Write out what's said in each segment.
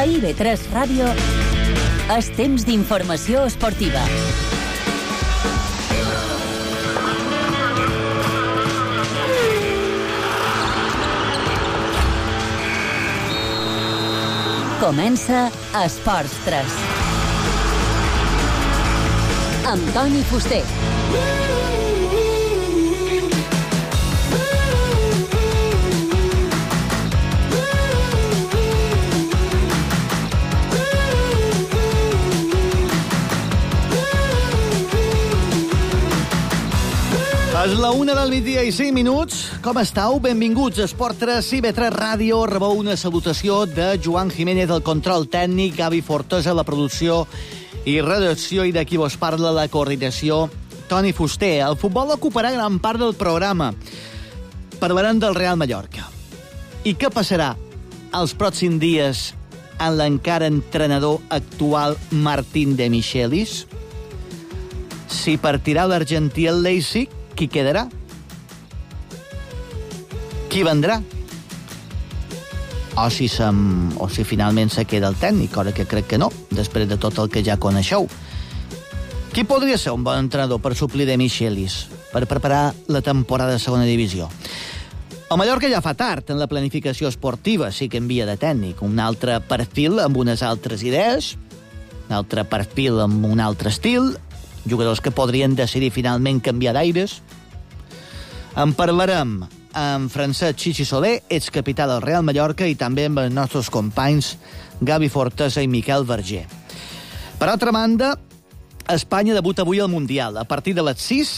A IB3 Ràdio és temps d'informació esportiva. Comença Esports 3. Amb Toni Fuster. És la 1 del migdia i 5 minuts. Com estàu? Benvinguts a Esport 3 i IB3 Ràdio. Rebeu una salutació de Joan Jiménez, el control tècnic, Gavi Fortosa, la producció i redacció, i d'aquí vos parla la coordinació, Toni Fuster. El futbol ocuparà gran part del programa. Parlarem del Real Mallorca. I què passarà els pròxims dies amb l'encara entrenador actual Martín de Michelis? Si partirà l'argentí al Leipzig, qui quedarà? Qui vendrà? O si finalment se queda el tècnic, cosa que crec que no, després de tot el que ja coneixeu. Qui podria ser un bon entrenador per suplir de Michelis, per preparar la temporada de segona divisió? El Mallorca ja fa tard en la planificació esportiva, sí que envia de tècnic. Un altre perfil amb unes altres idees, un altre perfil amb un altre estil, jugadors que podrien decidir finalment canviar d'aires. En parlarem amb Francesc Chichi Soler, excapità del Real Mallorca, i també amb els nostres companys Gavi Fortosa i Miquel Verger. Per altra banda, Espanya debuta avui al Mundial. A partir de les 6,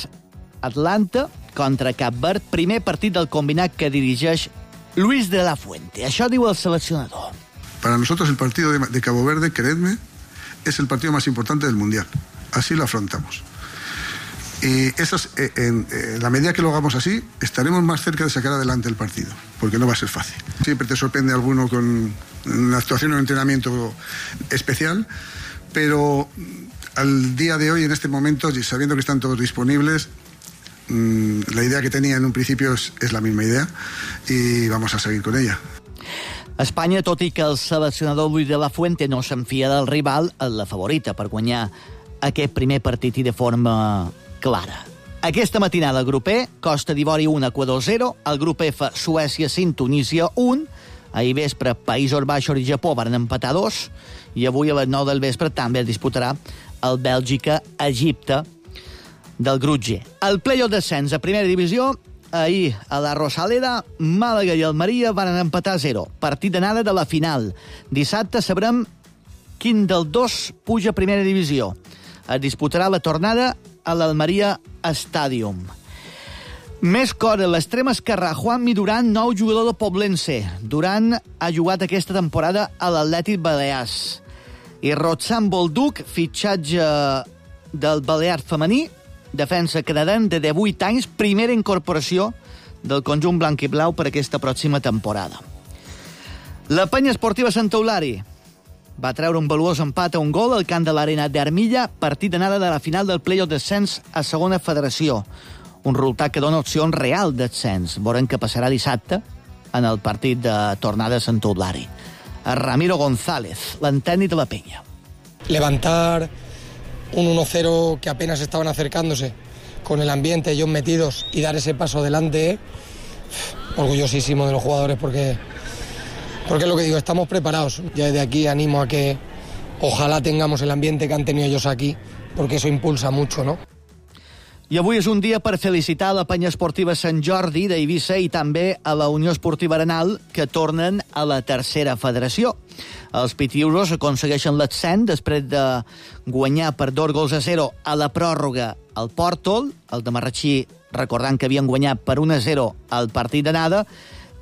Atlanta contra Cap Verd, primer partit del combinat que dirigeix Luis de la Fuente. Això diu el seleccionador. Para nosotros el partido de Cabo Verde, creedme, es el partido más importante del Mundial. Así lo afrontamos. Y en la medida que lo hagamos así, estaremos más cerca de sacar adelante el partido, porque no va a ser fácil. Siempre te sorprende alguno con una actuación o un entrenamiento especial, pero al día de hoy, en este momento, sabiendo que están todos disponibles, la idea que tenía en un principio es la misma idea y vamos a seguir con ella. Espanya, tot i que el seleccionador Luis de la Fuente no s'enfia del rival, és la favorita per guanyar aquest primer partit i de forma clara. Aquesta matinada el grup E, Costa d'Ivori 1, Equador 0, el grup F, Suècia 5, Tunísia 1, ahir vespre Països Baixos i Japó van empatar 2, i avui a les 9 del vespre també es disputarà el Bèlgica-Egipte del grup G. El play-off descens a primera divisió, ahir a la Rosaleda, Màlaga i Almeria van empatar 0. Partit d'anada de la final. Dissabte sabrem quin dels dos puja a primera divisió. Es disputarà la tornada a l'Almeria Stadium. Més coses, l'extrem esquerrà Juanmi Duran, nou jugador de Poblense. Duran ha jugat aquesta temporada a l'Atlètic Balears. I Rotzan Bolduc, fitxatge del Balear femení, defensa canadenc de 18 anys, primera incorporació del conjunt blanc i blau per aquesta pròxima temporada. La penya esportiva Santa Eulària va treure un valuós empat a un gol al camp de l'Arena d'Armilla, partit d'anada de la final del play-off descens a segona federació. Un resultat que dona opcions real d'ascens. Veurem què passarà dissabte en el partit de tornada a Santa Eulària. Ramiro González, l'antècnic de la penya. Levantar un 1-0 que apenas estaban acercándose, con el ambiente, ellos metidos, y dar ese paso adelante, orgullosísimo de los jugadores, porque es lo que digo, estamos preparados. Ya desde aquí animo a que ojalá tengamos el ambiente que han tenido ellos aquí, porque eso impulsa mucho, ¿no? I avui és un dia per felicitar la penya esportiva Sant Jordi d'Eivissa i també a la Unió Esportiva Arenal, que tornen a la tercera federació. Els pitiusos aconsegueixen l'ascens després de guanyar per 2-0 a la pròrroga al Pòrtol, el de Marratxí recordant que havien guanyat per 1-0 al partit d'anada,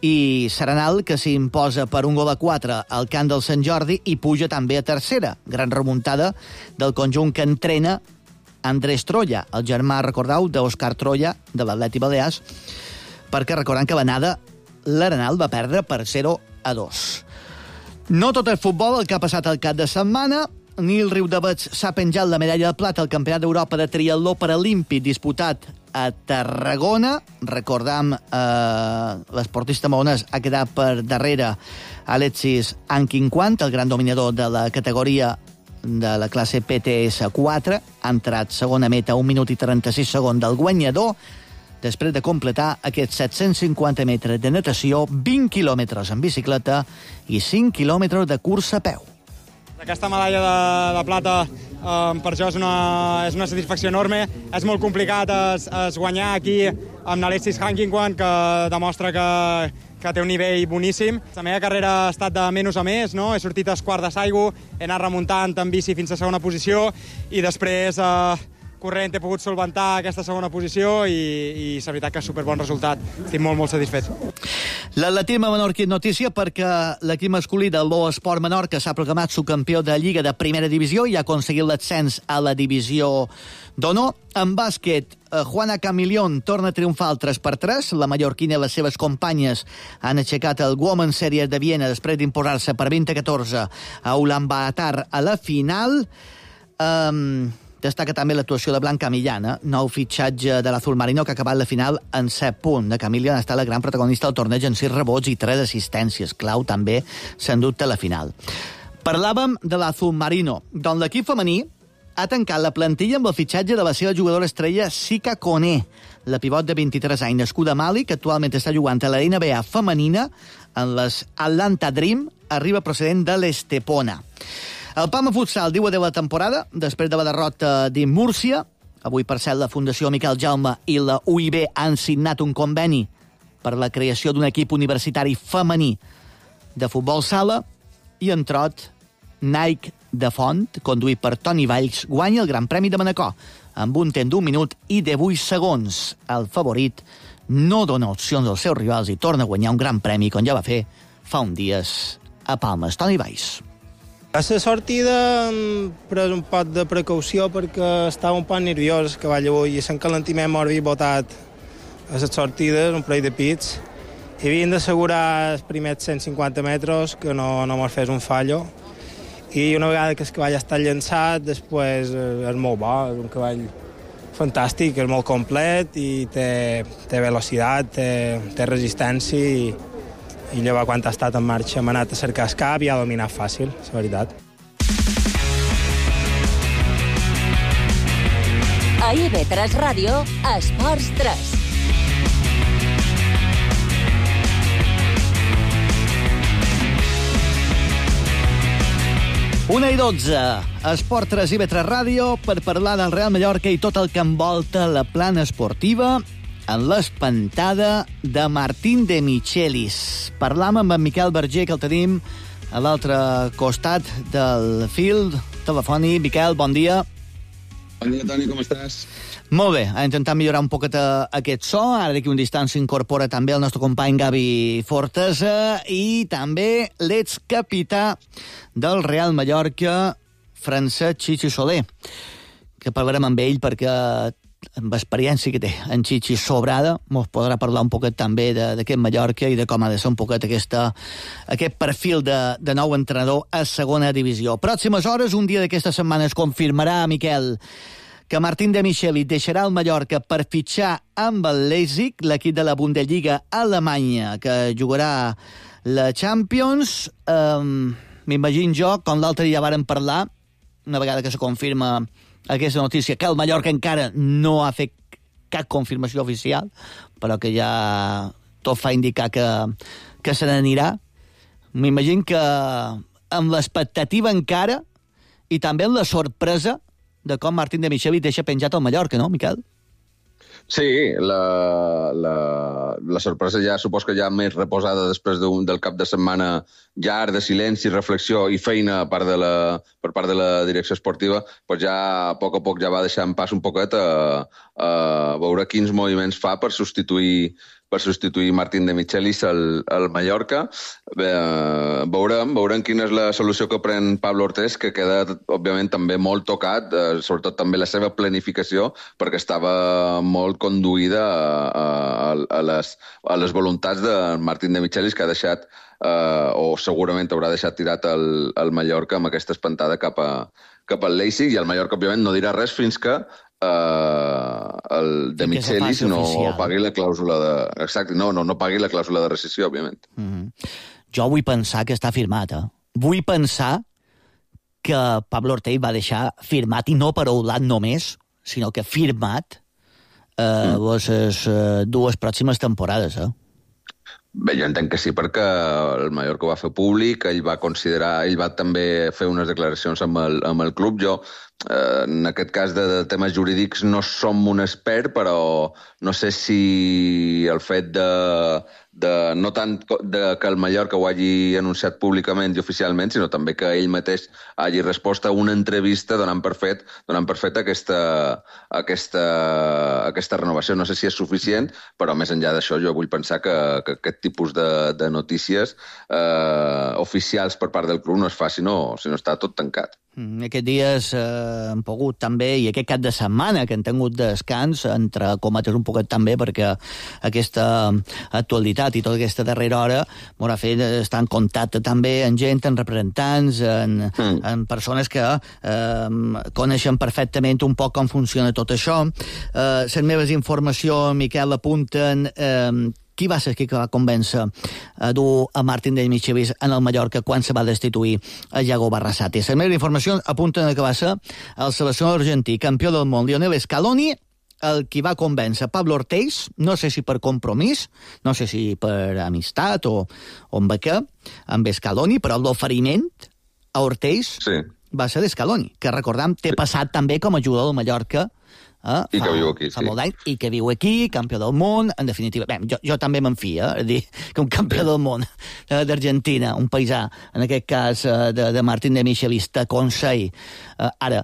i Serenal, que s'imposa per 1-4 al camp del Sant Jordi i puja també a tercera. Gran remuntada del conjunt que entrena Andrés Troya, el germà, recordeu, d'Òscar Troya, de l'Atlètic Balears, perquè recordant que l'anada l'Arenal va perdre per 0-2. No tot el futbol, el que ha passat al cap de setmana. Nil Riudavets s'ha penjat la medalla de plata al Campionat d'Europa de triatló paralímpic disputat a Tarragona. Recordam, l'esportista maonès ha quedat per darrere Alexis Anquinquant, el gran dominador de la categoria de la classe PTS4. Ha entrat segona meta, 1 minut i 36 segons del guanyador, després de completar aquests 750 metres de natació, 20 quilòmetres en bicicleta i 5 quilòmetres de cursa a peu. Aquesta medalla de plata per jo és una satisfacció enorme. És molt complicat es guanyar aquí amb Alexis Anquinquant, que demostra que té un nivell boníssim. La meva carrera ha estat de menys a més, no? He sortit als quarts de Saigo, he anat remuntant en bici fins a segona posició i després corrent he pogut solventar aquesta segona posició i la veritat que és superbon resultat. Estic molt, molt satisfet. L'atletisme menorquí notícia perquè l'equip masculí del Lo Esport Menorca s'ha proclamat subcampió de Lliga de Primera Divisió i ha aconseguit l'ascens a la Divisió d'Honor. En bàsquet, Juana Camilión torna a triomfar al 3x3. La mallorquina i les seves companyes han aixecat el Women's Series de Viena després d'imposar-se per 20-14 a Ulaanbaatar a la final. Destaca també l'actuació de Blanca Millana, nou fitxatge de l'Azul Marino, que ha acabat la final en 7 punts. De Camilla ha estat la gran protagonista del torneig en 6 rebots i 3 assistències. Clau també, se'n dubte, la final. Parlàvem de l'Azul Marino, d'on l'equip femení ha tancat la plantilla amb el fitxatge de la seva jugadora estrella Sika Koné, la pivot de 23 anys, nascuda a Mali, que actualment està jugant a la NBA femenina en les Atlanta Dream, arriba procedent de l'Estepona. El Palma Futsal diu adeu a la temporada després de la derrota d'en Múrcia. Avui, per cert, la Fundació Miquel Jaume i la UIB han signat un conveni per la creació d'un equip universitari femení de futbol sala i en trot, Nike de Font, conduït per Toni Valls, guanya el Gran Premi de Manacor amb un temps d'1 minut i 18 segons. El favorit no dona opcions als seus rivals i torna a guanyar un Gran Premi, com ja va fer fa uns dies a Palmes. Toni Valls. A la sortida hem pres un pot de precaució perquè estava un poc nerviós que vaig avui i l'encalentiment m'ho havia botat a les sortides, un parell de pits, i havien d'assegurar els primers 150 metres que no mos fes un fallo, i una vegada que el cavall està llançat, després és molt bo, és un cavall fantàstic, és molt complet i té velocitat, té resistència i llavors quan ha estat en marxa m'ha anat a cercar el cap i ha dominat fàcil, la veritat. A IB3 Ràdio, Esports 3. Una i 12, Esport 3 IB3 Ràdio, per parlar del Real Mallorca i tot el que envolta la plana esportiva en l'espantada de Martín de Michelis. Parlam amb en Miquel Berger, que el tenim a l'altre costat del fil telefònic. Miquel, bon dia. Bon dia, Toni, com estàs? Molt bé, ha intentat millorar un poquet aquest so. Ara d'aquí un distant s'incorpora també el nostre company Gavi Fortesa i també l'excapità del Real Mallorca, Francesc Chichi Soler, que parlarem amb ell perquè amb experiència que té en Chichi sobrada, mos podrà parlar un poquet també d'aquest Mallorca i de com ha de ser un poquet aquest perfil de nou entrenador a segona divisió. Pròximes hores, un dia d'aquesta setmana es confirmarà, Miquel, que Martín de Michelis deixarà el Mallorca per fitxar amb el Leipzig, l'equip de la Bundesliga alemanya, que jugarà la Champions. M'imagino jo, com l'altre dia vàrem parlar, una vegada que se confirma aquesta notícia, que el Mallorca encara no ha fet cap confirmació oficial, però que ja tot fa indicar que se n'anirà. M'imagino que amb l'expectativa encara i també amb la sorpresa de com Martín de Michelis deixa penjat el Mallorca, no, Miquel? Sí, la sorpresa ja supos que ja més reposada després del cap de setmana llarg de silenci, reflexió i feina per part de la direcció esportiva, doncs ja a poc ja va deixant pas un poquet a veure quins moviments fa per substituir substituir Martín de Michelis al Mallorca. Veurem quina és la solució que pren Pablo Ortés, que queda, òbviament, també molt tocat, sobretot també la seva planificació, perquè estava molt conduïda a les voluntats de Martín de Michelis, que ha deixat, o segurament haurà deixat tirat el Mallorca amb aquesta espantada cap al Leipzig, i el Mallorca, òbviament, no dirà res fins que el de Michelis no pagui la clàusula de... Exacte, no pagui la clàusula de rescissió, òbviament. Jo vull pensar que està firmat, Vull pensar que Pablo Ortell va deixar firmat, i no paraulat només, sinó que firmat les 2 pròximes temporades, Bé, jo entenc que sí, perquè el Mallorca ho va fer públic, ell va també fer unes declaracions amb el club. Jo, en aquest cas de temes jurídics, no som un expert, però no sé si el fet no tant que el Mallorca ho hagi anunciat públicament i oficialment, sinó també que ell mateix hagi respost a una entrevista donant per fet aquesta renovació. No sé si és suficient, però més enllà d'això jo vull pensar que aquest tipus de notícies oficials per part del club no es fa si no està tot tancat. Aquests dies hem pogut també, i aquest cap de setmana que hem tingut descans, entre cometes un poquet també, perquè aquesta actualitat i tota aquesta darrera hora m'haurà fet estar en contacte també amb gent, amb representants, amb persones que coneixen perfectament un poc com funciona tot això. Les meves informacions, Miquel, apunten... Qui va ser qui va convèncer a dur a Martín de Michelis en el Mallorca quan se va destituir a Iago Barrasate? Les meves informacions apunten que va ser el seleccionador argentí, campió del món, Lionel Scaloni, el qui va convèncer Pablo Ortell, no sé si per compromís, no sé si per amistat o amb què, amb Scaloni, però l'oferiment a Ortell va ser d'Scaloni, que recordam, té passat també com a jugador del Mallorca, i que viu aquí, fa molt d'any, i que viu aquí, campió del món, en definitiva. Bé, jo també m'enfio, és dir, que un campió del món d'Argentina, un paisà, en aquest cas de Martín de Michelis, t'aconsell. Ara,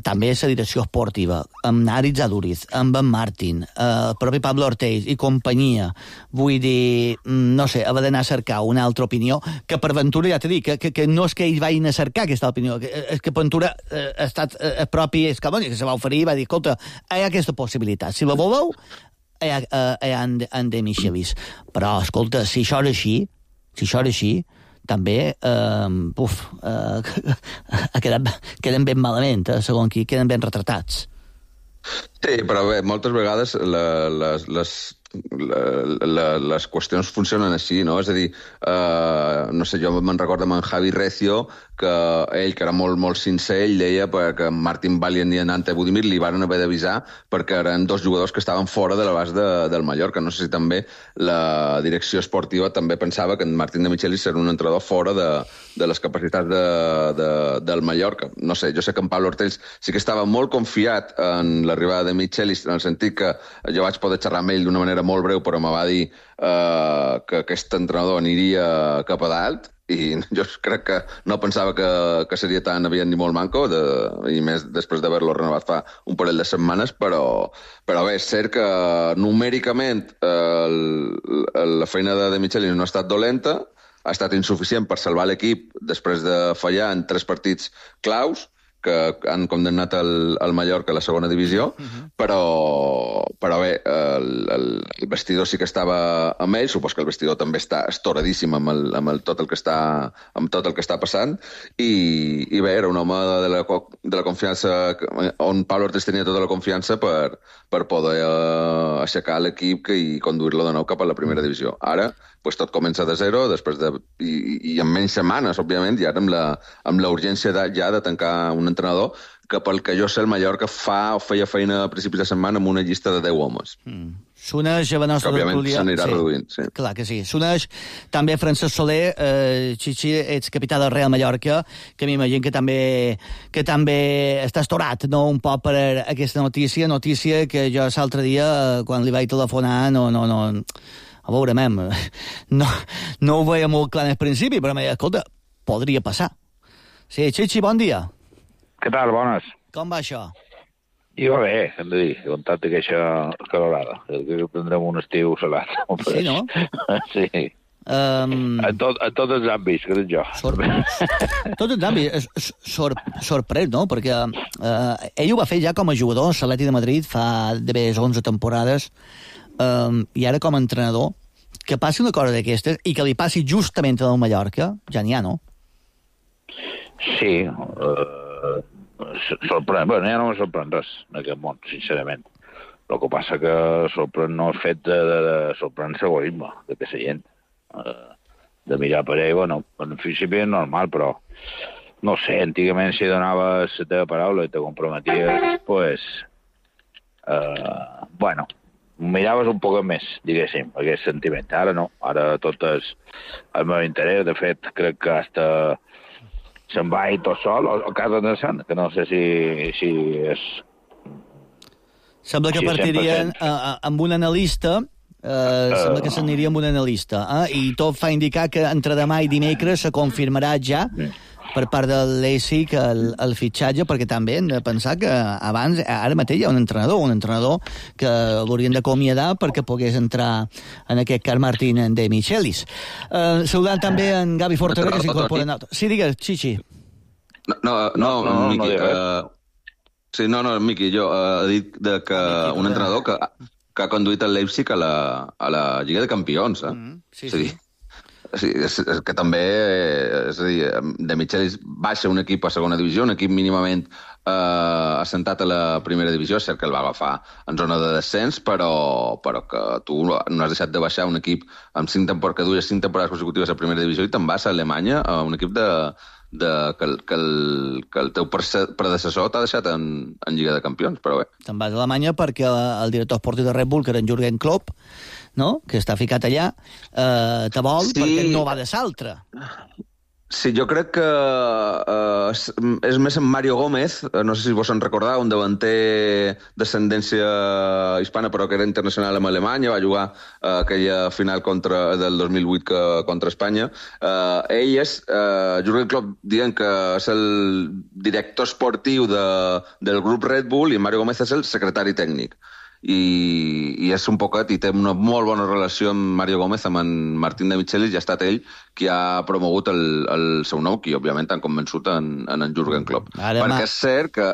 també la direcció esportiva, amb Naritz Aduriz, amb en Martín, el propi Pablo Ortell i companyia, vull dir, no sé, haver d'anar a cercar una altra opinió, que per ventura, ja t'he dit, que no és que ells vagin a cercar aquesta opinió, és que per ventura ha estat el propi Scaloni, que se va oferir i va dir, escolta, hi ha aquesta possibilitat. Si la voleu, hi ha en de Michelis. Però, escolta, si això és així, també queden ben malament, segons qui, queden ben retratats. Sí, però bé, moltes vegades les qüestions funcionen així, no? És a dir, no sé, jo me'n recordo amb en Javi Recio, que ell, que era molt, molt sincer, ell deia que Martín Valient i Ante Budimir li van haver d'avisar perquè eren 2 jugadors que estaven fora de l'abast del Mallorca. No sé si també la direcció esportiva també pensava que en Martín de Michelis era un entrenador fora de les capacitats del Mallorca. No sé, jo sé que en Pablo Ortell sí que estava molt confiat en l'arribada de Michelis, en el sentit que jo vaig poder xerrar amb ell d'una manera molt breu, però me va dir que aquest entrenador aniria cap a dalt, i jo crec que no pensava que seria tan aviat ni molt manco, i més després d'haver-lo renovat fa un parell de setmanes, però bé, és cert que numèricament la feina de Michelis no ha estat dolenta, ha estat insuficient per salvar l'equip després de fallar en 3 partits claus, que han condemnat el Mallorca a la segona divisió, però bé, el vestidor sí que estava amb ell, supos que el vestidor també està estoradíssim amb tot el que està passant, i bé, era un home de la confiança, on Pablo Ortell tenia tota la confiança per poder aixecar l'equip i conduir-lo de nou cap a la primera divisió. Ara, pues tot comença de zero, i en menys setmanes, òbviament, i ara amb la urgència ja de tancar un entrenador que, pel que jo sé, el Mallorca feia feina a principis de setmana amb una llista de 10 homes. S'uneix a la nostra òbviament tertúlia... s'anirà reduint, sí. Clar que sí. S'uneix també Francesc Soler, Xixi, ets capità del Real Mallorca, que m'imagino que també està estorat, no?, un poc per aquesta notícia que jo l'altre dia, quan li vaig telefonar, a veure, no ho veia molt clar en el principi, però m'he dit, escolta, podria passar. Sí, Xixi, bon dia. Què tal? Bones. Com va això? I va bé, hem de dir, comptat aquesta calorada. Que prendrem un estiu salat. Sí, no? Sí. A tots els àmbits, crec jo. Tots els àmbits. Sorprès, no? Perquè ell ho va fer ja com a jugador a l'Atlètic de Madrid fa d'haver 11 temporades, i ara com a entrenador, que passi una cosa d'aquestes i que li passi justament al Mallorca, ja n'hi ha, no? Sí, sorprèn. Bé, ja no me sorprèn res en aquest món, sincerament. El que passa que sorprèn no el fet de sorprèn l'egoisme de que la gent de mirar per ell, bueno, en principi és normal, però no sé, antigament si donaves la teva paraula i te comprometies, pues bueno, miraves un poc més, diguéssim, aquest sentiment. Ara no, ara tot és el meu interès. De fet, crec que hasta se'n va i tot sol, o casa de Sant, que no sé si és... Sembla que partirien amb un analista, sembla que s'aniria amb un analista, i tot fa indicar que entre demà i dimecres se confirmarà ja per part de l'ESIC el fitxatge, perquè també hem de pensar que abans, ara mateix hi ha un entrenador que l'haurien d'acomiadar perquè pogués entrar en aquest cas Martín de Michelis. Saludant també en Gavi Fortera, que s'incorpora... Sí, digues, Chichi. No, Miqui. Sí, no, Miqui, jo he dit que un entrenador que ha conduït el Leipzig a la Lliga de Campions. Sí. Sí, és que també, és a dir, de Michelis baixa un equip a segona divisió, un equip mínimament assentat a la primera divisió, és cert que el va agafar en zona de descens, però que tu no has deixat de baixar un equip amb que duia 5 temporades consecutives a primera divisió i te'n vas a Alemanya a un equip que el teu predecessor t'ha deixat en Lliga de Campions, però bé. Te'n vas a Alemanya perquè el director esportiu de Red Bull, que era en Jürgen Klopp, no?, que està ficat allà, te vol, sí, perquè no va de l'altre. Sí, jo crec que és més en Mario Gómez, no sé si vos en recordeu, un davanter d'ascendència hispana, però que era internacional amb Alemanya, va jugar aquella final del 2008 contra Espanya. Ell és, Jürgen Klopp, dient que és el director esportiu del grup Red Bull i Mario Gómez és el secretari tècnic. I és un poquet, i té una molt bona relació amb Mario Gómez, amb en Martín de Michelis, i ha estat ell qui ha promogut el seu nou, qui òbviament han convençut en Jürgen Klopp. Perquè és cert que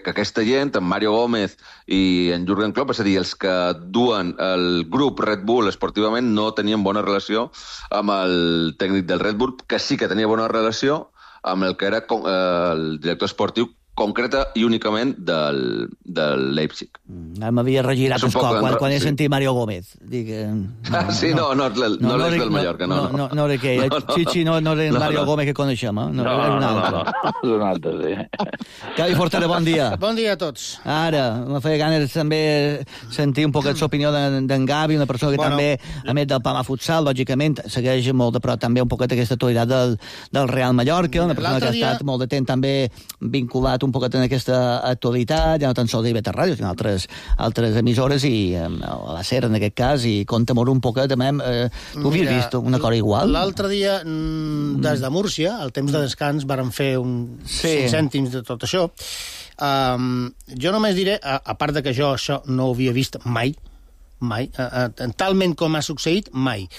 aquesta gent, en Mario Gómez i en Jürgen Klopp, és a dir, els que duen el grup Red Bull esportivament, no tenien bona relació amb el tècnic del Red Bull, que sí que tenia bona relació amb el que era el director esportiu concreta i únicament del Leipzig. M'havia regirat el cop quan he sentit Mario Gómez. Dic, sí, no és del Mallorca, no. No era que Chichi no era el Mario Gómez que coneixem, no, és un altre. És un altre, sí. Gavi Fortera, bon dia. Bon dia a tots. Ara, me feia ganes també sentir un poquet l'opinió d'en Gavi, una persona que també, a més del Palma Futsal, lògicament, segueix molt de prop també un poquet aquesta actualitat del Real Mallorca, una persona que ha estat molt de temps també vinculat un poquet en aquesta actualitat, ja no tan sols d'IB3 Ràdio, sinó altres emissores, i a la SER en aquest cas, i conta-m'ho un poquet, tu havies vist una cosa igual? L'altre dia, des de Múrcia, al temps de descans, varen fer 5 cèntims de tot això. Jo només diré, a part de que jo això no ho havia vist mai, talment com ha succeït, mai.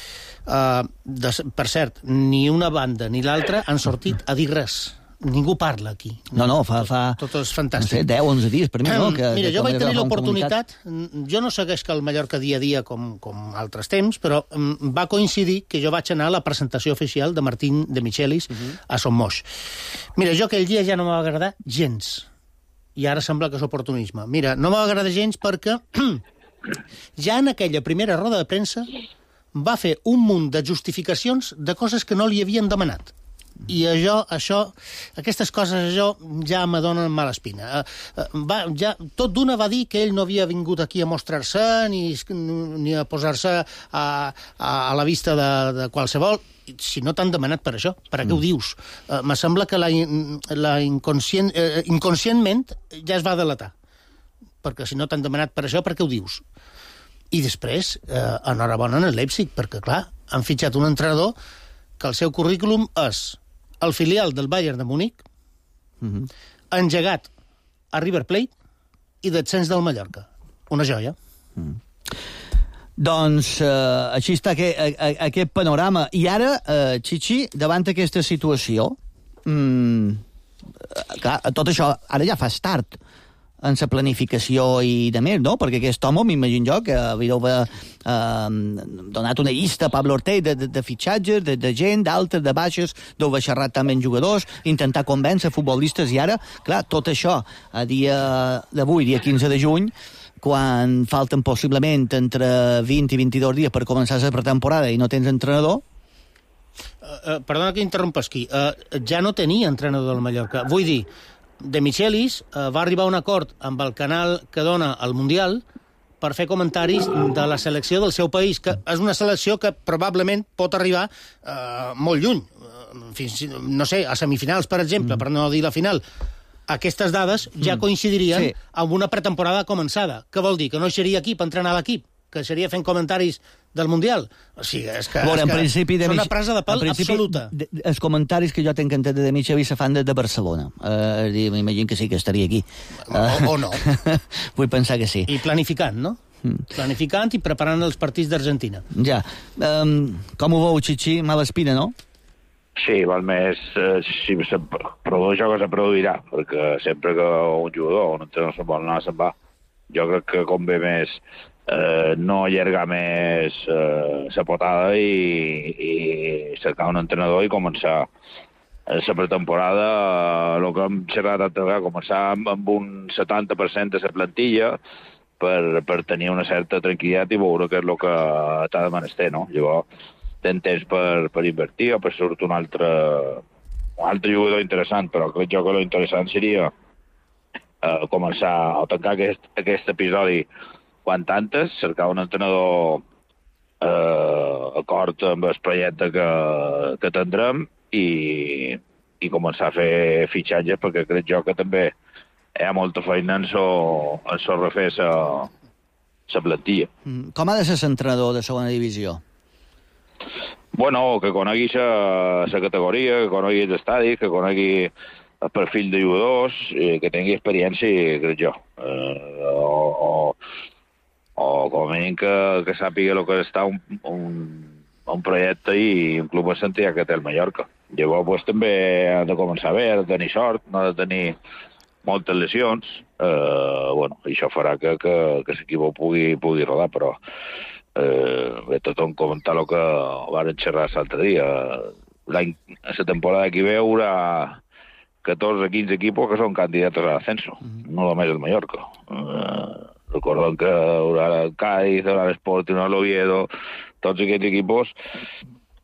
Per cert, ni una banda ni l'altra han sortit a dir res. Ningú parla aquí. No, fa tot és fantàstic. No sé, 10 o 11 dies, per mi, no? Mira, jo vaig tenir l'oportunitat, jo no segueix que el Mallorca dia a dia com altres temps, però va coincidir que jo vaig anar a la presentació oficial de Martín de Michelis a Son Moix. Mira, jo aquell dia ja no m'va agradar gens, i ara sembla que és oportunisme. Mira, no m'va agradar gens perquè ja en aquella primera roda de premsa va fer un munt de justificacions de coses que no li havien demanat. I aquestes coses ja m'adonen mala espina. Tot d'una va dir que ell no havia vingut aquí a mostrar-se ni a posar-se a la vista de qualsevol. Si no t'han demanat per això, per a què ho dius? Me sembla que inconscientment ja es va delatar. Perquè si no t'han demanat per això, per què ho dius? I després, enhorabona en el Leipzig, perquè, clar, han fitxat un entrenador que el seu currículum és el filial del Bayern de Múnich, engegat a River Plate i descens del Mallorca. Una joia. Doncs així està aquest panorama. I ara, Chichi, davant aquesta situació, clar, tot això ara ja fas tard en la planificació i de més, no? Perquè aquest home, m'imagino jo, que havíeu donat una llista a Pablo Ortega de fitxatges, de gent, d'altes, de baixes, deu haver xerrat també amb jugadors, intentar convèncer futbolistes, i ara, clar, tot això, a dia d'avui, dia 15 de juny, quan falten possiblement entre 20 i 22 dies per començar la pretemporada i no tens entrenador... Perdona que interrompes aquí. Ja no tenia entrenador del Mallorca. Vull dir, De Michelis va arribar a un acord amb el canal que dona el Mundial per fer comentaris de la selecció del seu país, que és una selecció que probablement pot arribar molt lluny. Fins, no sé, a semifinals, per exemple, per no dir la final. Aquestes dades ja coincidirien amb una pretemporada començada. Què vol dir? Que no seria aquí per entrenar l'equip? Que seria fent comentaris del Mundial? O sigui, és que és una presa de pèl absoluta. Els comentaris que jo tinc entès de Michelis se fan des de Barcelona. M'imagino que sí que estaria aquí. O no. Vull pensar que sí. I planificant, no? Planificant i preparant els partits d'Argentina. Ja. Com ho veu, Chichi? Mala espina, no? Sí, val més, si se produeix això que se produirà, perquè sempre que un jugador o un entrenador se'n vol anar, se'n va. Jo crec que convé més no allargar més la potada i cercar un entrenador i començar la pretemporada, el que hem xerrat altra vegada, començar amb un 70% de la plantilla per tenir una certa tranquil·litat i veure què és el que t'ha de menester, no? Llavors, tens temps per invertir o per sortir un altre jugador interessant, però crec jo que l'interessant seria començar a tancar aquest episodi quan antes, cercar un entrenador acord amb el projecte que tindrem i començar a fer fitxatges, perquè crec jo que també hi ha molta feina en refer la plantilla. Com ha de ser l'entrenador de segona divisió? Bueno, que conegui la categoria, que conegui els estadis, que conegui el perfil de jugadors, que tingui experiència, crec jo. O com a mínim que sàpiga el que està un projecte i un club assentí que té el Mallorca. Llavors, pues, també ha de començar bé, ha de tenir sort, no ha de tenir moltes lesions. Bueno, això farà que l'equip pugui rodar, però ve tothom comentar el que van xerrar l'altre dia. La temporada que ve hi haurà 14 o 15 equipos que són candidats a l'ascenso, no només el Mallorca. Recordem que haurà el Cádiz, haurà l'Sporting, l'Oviedo, tots aquests equipos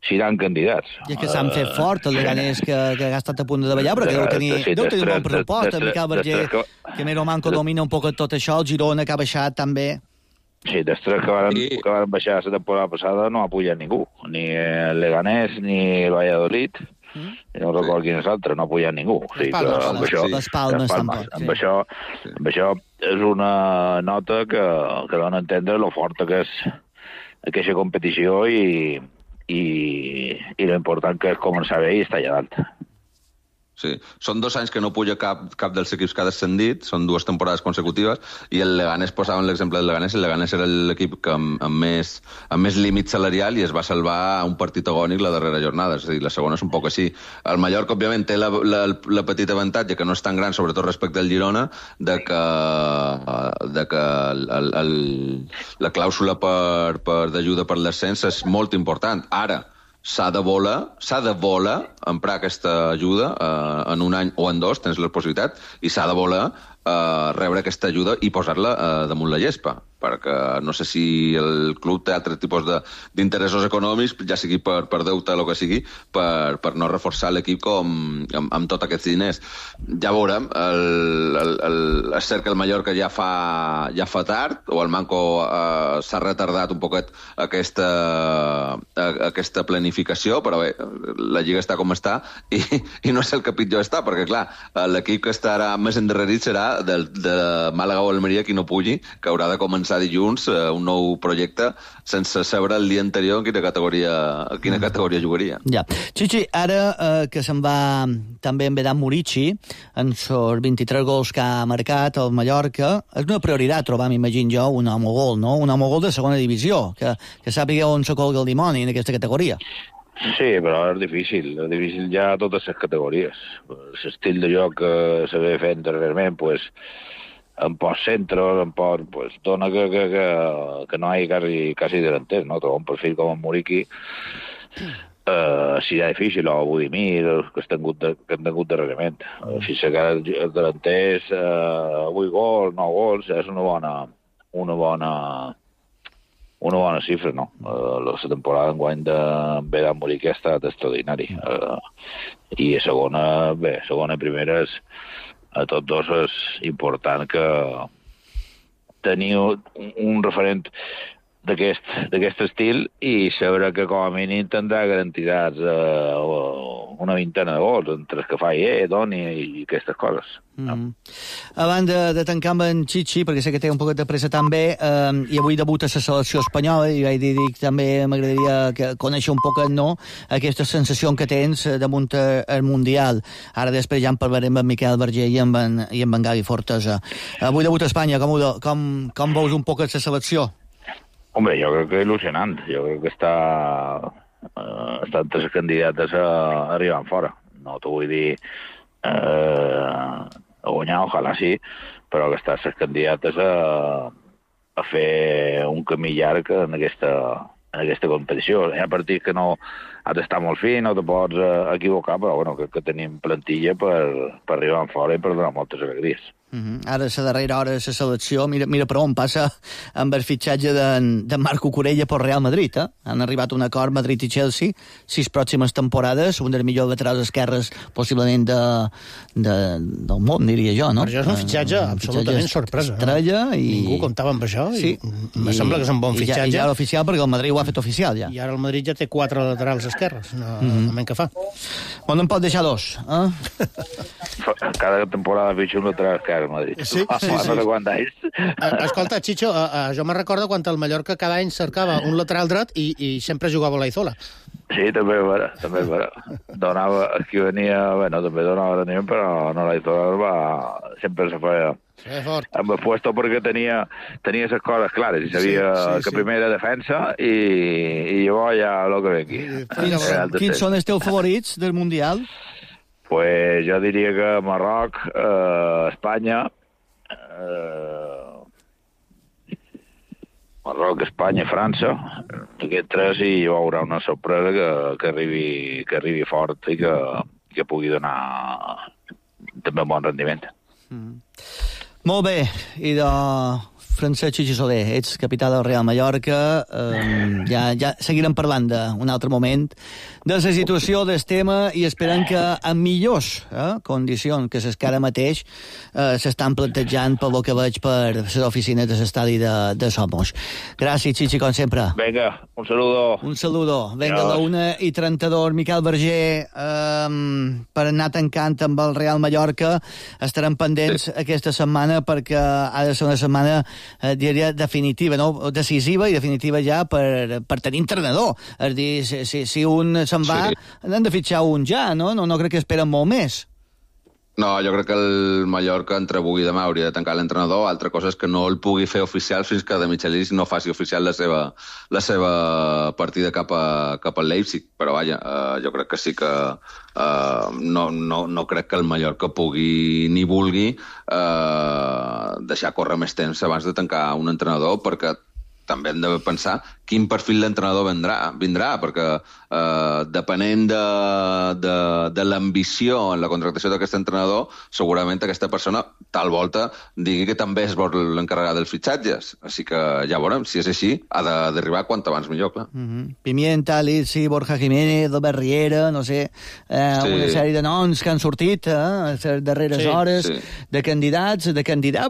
seran candidats. I és que s'han fet fort, el Leganés, que ha estat a punt de davallar, però que deu tenir un bon pressupost. El Miquel Berger, que més o manco domina un poc tot això, el Girona, que ha baixat també. Sí, dels tres que van baixar la temporada passada no ha pujat ningú, ni el Leganés ni el Valladolid, no recordo quin és l'altre, no ha pujat ningú. Les Palmes tampoc. Amb això és una nota que dona a entendre lo forta que és aquesta competició i lo important que és començar bé i estar allà dalt. Sí, són 2 anys que no puja cap dels equips que ha descendit, són 2 temporades consecutives, i el Leganés, posàvem l'exemple del Leganés, el Leganés era l'equip amb més límit salarial i es va salvar a un partit agònic la darrera jornada, és a dir, la segona és un poc així. El Mallorca, òbviament, té la petita avantatge, que no és tan gran, sobretot respecte al Girona, de que la clàusula d'ajuda per l'ascens és molt important. Ara, s'ha de voler emprar aquesta ajuda en un any o en 2, tens la possibilitat, i s'ha de voler rebre aquesta ajuda i posar-la damunt la gespa, perquè no sé si el club té altres tipus d'interessos econòmics, ja sigui per deute o el que sigui, per no reforçar l'equip amb tots aquests diners. Ja veurem, és cert que el Mallorca ja fa tard, o el Manco s'ha retardat un poquet aquesta aquesta planificació, però bé, la Lliga està com està i no sé el que pitjor està, perquè clar, l'equip que estarà més endarrerit serà de Màlaga o Almeria qui no pugui, que haurà de començar dilluns un nou projecte sense saber el dia anterior en quina categoria jugaria. Ja. Chichi, ara que se'n va també en Vedat Murici, en els 23 gols que ha marcat al Mallorca, és una prioritat trobar, m'imagino jo, un home gol, no? Un home gol de segona divisió, que sàpiga on se colga el dimoni en aquesta categoria. Sí, però és difícil ja a totes les categories. L'estil de joc que s'havia fet anteriorment, pues, en post-centros, pues, dona que no hi ha quasi delanters, no? Trobar un perfil com en Muriqui serà difícil, o Budimir, que han tingut darrerament. Fins que els delanters 8 gols, 9 gols, és una bona xifra, no? La temporada enguany de Vedat Muriqui ha estat extraordinari. I a segona i primera a tots dos és important que teniu un referent d'aquest estil i saber que com a mínim tindrà garantitzats una vintena de gols entre els que fa Doni i aquestes coses. Abans de tancar amb en Chichi, perquè sé que té un poquet de pressa també, i avui debuta la selecció espanyola, i vaig dir que també m'agradaria conèixer un poquet, no?, aquesta sensació que tens damunt el Mundial. Ara després ja en parlarem amb Miquel Berger i amb en Gavi Fortesa. Avui debuta a Espanya, com veus un poquet la selecció? Hombre, jo crec que il·lusionant. Jo crec que està entre les candidates a arribar fora. No t'ho vull dir a guanyar, ojalà sí, però que està les candidates a fer un camí llarg en aquesta competició. Hi ha partits que no has d'estar molt fi, no te pots equivocar, però bueno, crec que tenim plantilla per arribar fora i per donar moltes alegries. Ara, a la darrera hora de la selecció, mira per on passa amb el fitxatge de Marco Corella pel Real Madrid. Han arribat a un acord Madrid i Chelsea, 6 pròximes temporades, un dels millors laterals esquerres possiblement del món, diria jo, no? Per això és un fitxatge absolutament sorpresa. Estrella i... Ningú comptava amb això i em sembla que és un bon fitxatge. I ja era oficial perquè el Madrid ho ha fet oficial, ja. I ara el Madrid ja té 4 laterals esquerres, no que fa. On en pot deixar 2, Cada temporada fitxa un lateral esquerre al Madrid. Sí. Escolta, Chicho, jo me recordo quan el Mallorca cada any cercava un lateral dret i sempre jugava l'Aizola. Sí, també és vera. Donava, qui venia, també donava rendiment, però no l'Aizola sempre se feia amb el puesto perquè tenia les coses clares i sabia que primer era defensa i llavors ja el que ve aquí. Quins són els teus favorits del Mundial? Pues jo diria que Marroc, Espanya, França, aquests 3, i hi haurà una sorpresa que arribi fort i que pugui donar també un bon rendiment. Molt bé, i de Francesc Chichi Soler, ets capità del Real Mallorca, ja seguirem parlant d'un altre moment de la situació del tema i esperant que en millors condicions que que ara mateix s'estan plantejant pel que veig per les oficines de l'estadi de Somos. Gràcies, Chichi, com sempre. Vinga, un saludo. Un saludo. Vinga, a la 1:32, Miquel Berger, per anar tancant amb el Real Mallorca. Estarem pendents aquesta setmana perquè ha de ser una setmana diria definitiva, no? Decisiva i definitiva ja per tenir entrenador. És dir, si un se'n va, han de fitxar un ja, no? No crec que esperen molt més. No, jo crec que el Mallorca entre avui i demà hauria de tancar l'entrenador. Altra cosa és que no el pugui fer oficial fins que De Michelis no faci oficial la seva partida cap al Leipzig. Però vaja, jo crec que sí que no crec que el Mallorca pugui ni vulgui deixar córrer més temps abans de tancar un entrenador, perquè també hem de pensar quin perfil d'entrenador vindrà, perquè depenent de l'ambició en la contractació d'aquest entrenador, segurament aquesta persona tal volta digui que també es vol encarregar dels fitxatges. Així que ja veurem, si és així, ha d'arribar quant abans millor, clar. Pimienta, Lizzi, Borja Jiménez, Albert Riera, no sé, una sèrie de noms que han sortit a les darreres hores, de candidats,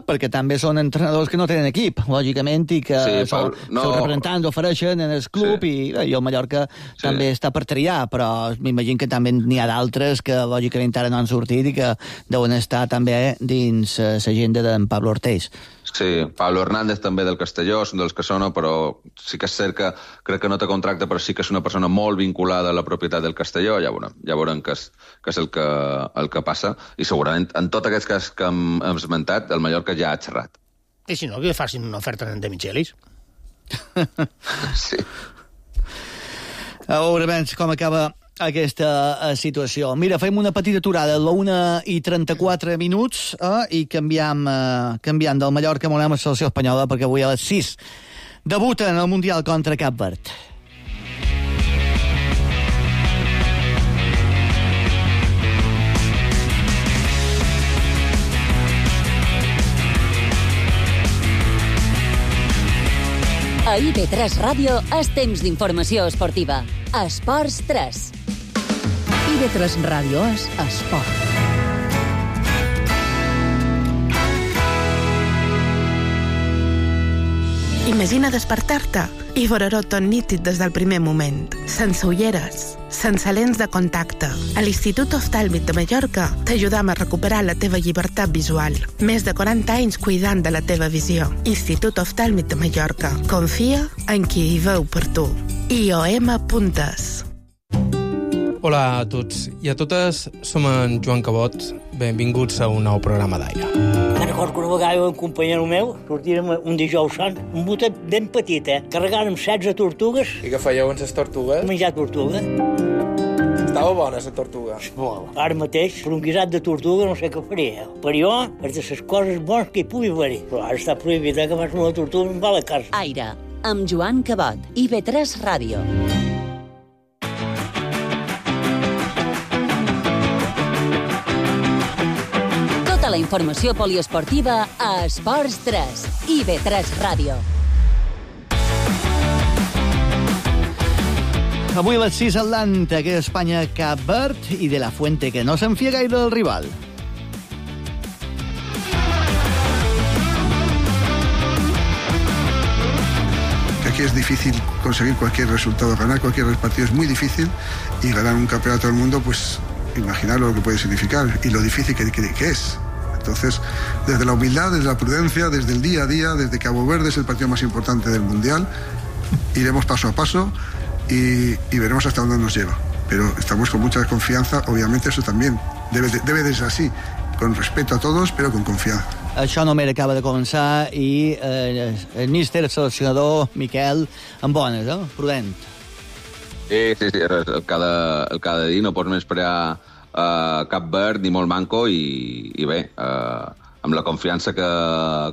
perquè també són entrenadors que no tenen equip, lògicament, i que són representants o apareixen en el club i el Mallorca també està per triar, però m'imagino que també n'hi ha d'altres que lògicament ara no han sortit i que deuen estar també dins l'agenda d'en Pablo Ortiz. Sí, Pablo Hernández també del Castelló, són dels que sona, però sí que és cert que crec que no té contracte, però sí que és una persona molt vinculada a la propietat del Castelló, ja veurem què és el que passa, i segurament en tots aquests casos que hem esmentat, el Mallorca ja ha xerrat. I si no, que facin una oferta en De Michelis. Sí. A veure com acaba aquesta situació. Mira, fem una petita aturada a la 1:34 i canviam del Mallorca, volem a la selecció espanyola, perquè avui a les 6 debuta en el Mundial contra Cap Verd. A IB3 Ràdio és temps d'informació esportiva. Esports 3. IB3 Ràdio és esport. Imagina despertar-te i veure-ho tot nítid des del primer moment. Sense ulleres, sense lents de contacte. A l'Institut Oftàlmic de Mallorca t'ajudam a recuperar la teva llibertat visual. Més de 40 anys cuidant de la teva visió. Institut Oftàlmic de Mallorca. Confia en qui hi veu per tu. IOM.es. Hola a tots i a totes, som en Joan Cabot. Benvinguts a un nou programa d'Aire. Recordo que una vegada un companyero meu sortirem un dijous sant, un botet ben petit, carregant amb 16 tortugues. I què fèieu amb les tortugues? Menjar tortuga. Estava bona, la tortuga. Molt. Ara mateix, per un guisat de tortuga no sé què faria. Per jo, és de les coses bones que hi pugui haver-hi. Però ara està prohibit que vas una tortuga i va a la casa. Aire, amb Joan Cabot, IB3 Ràdio. La informació poliesportiva a Esports 3, IB3 Ràdio. Avui a les 6 Atlanta, que és Espanya-Cap Verd, i de la Fuente, que no s'enfia gaire del rival. Aquí es difícil conseguir cualquier resultado, ganar cualquier partido es muy difícil, y ganar un campeonato del mundo, pues imaginar lo que puede significar y lo difícil que es. Entonces, desde la humildad, desde la prudencia, desde el día a día, desde Cabo Verde es el partido más importante del Mundial, iremos paso a paso y veremos hasta dónde nos lleva. Pero estamos con mucha confianza, obviamente eso también debe de ser así, con respeto a todos, pero con confianza. Això només acaba de començar i el míster, el seleccionador, Miquel, amb bones, prudent. Sí, el que ha de dir, no pots menysprear Cap Verd ni molt manco i bé, amb la confiança que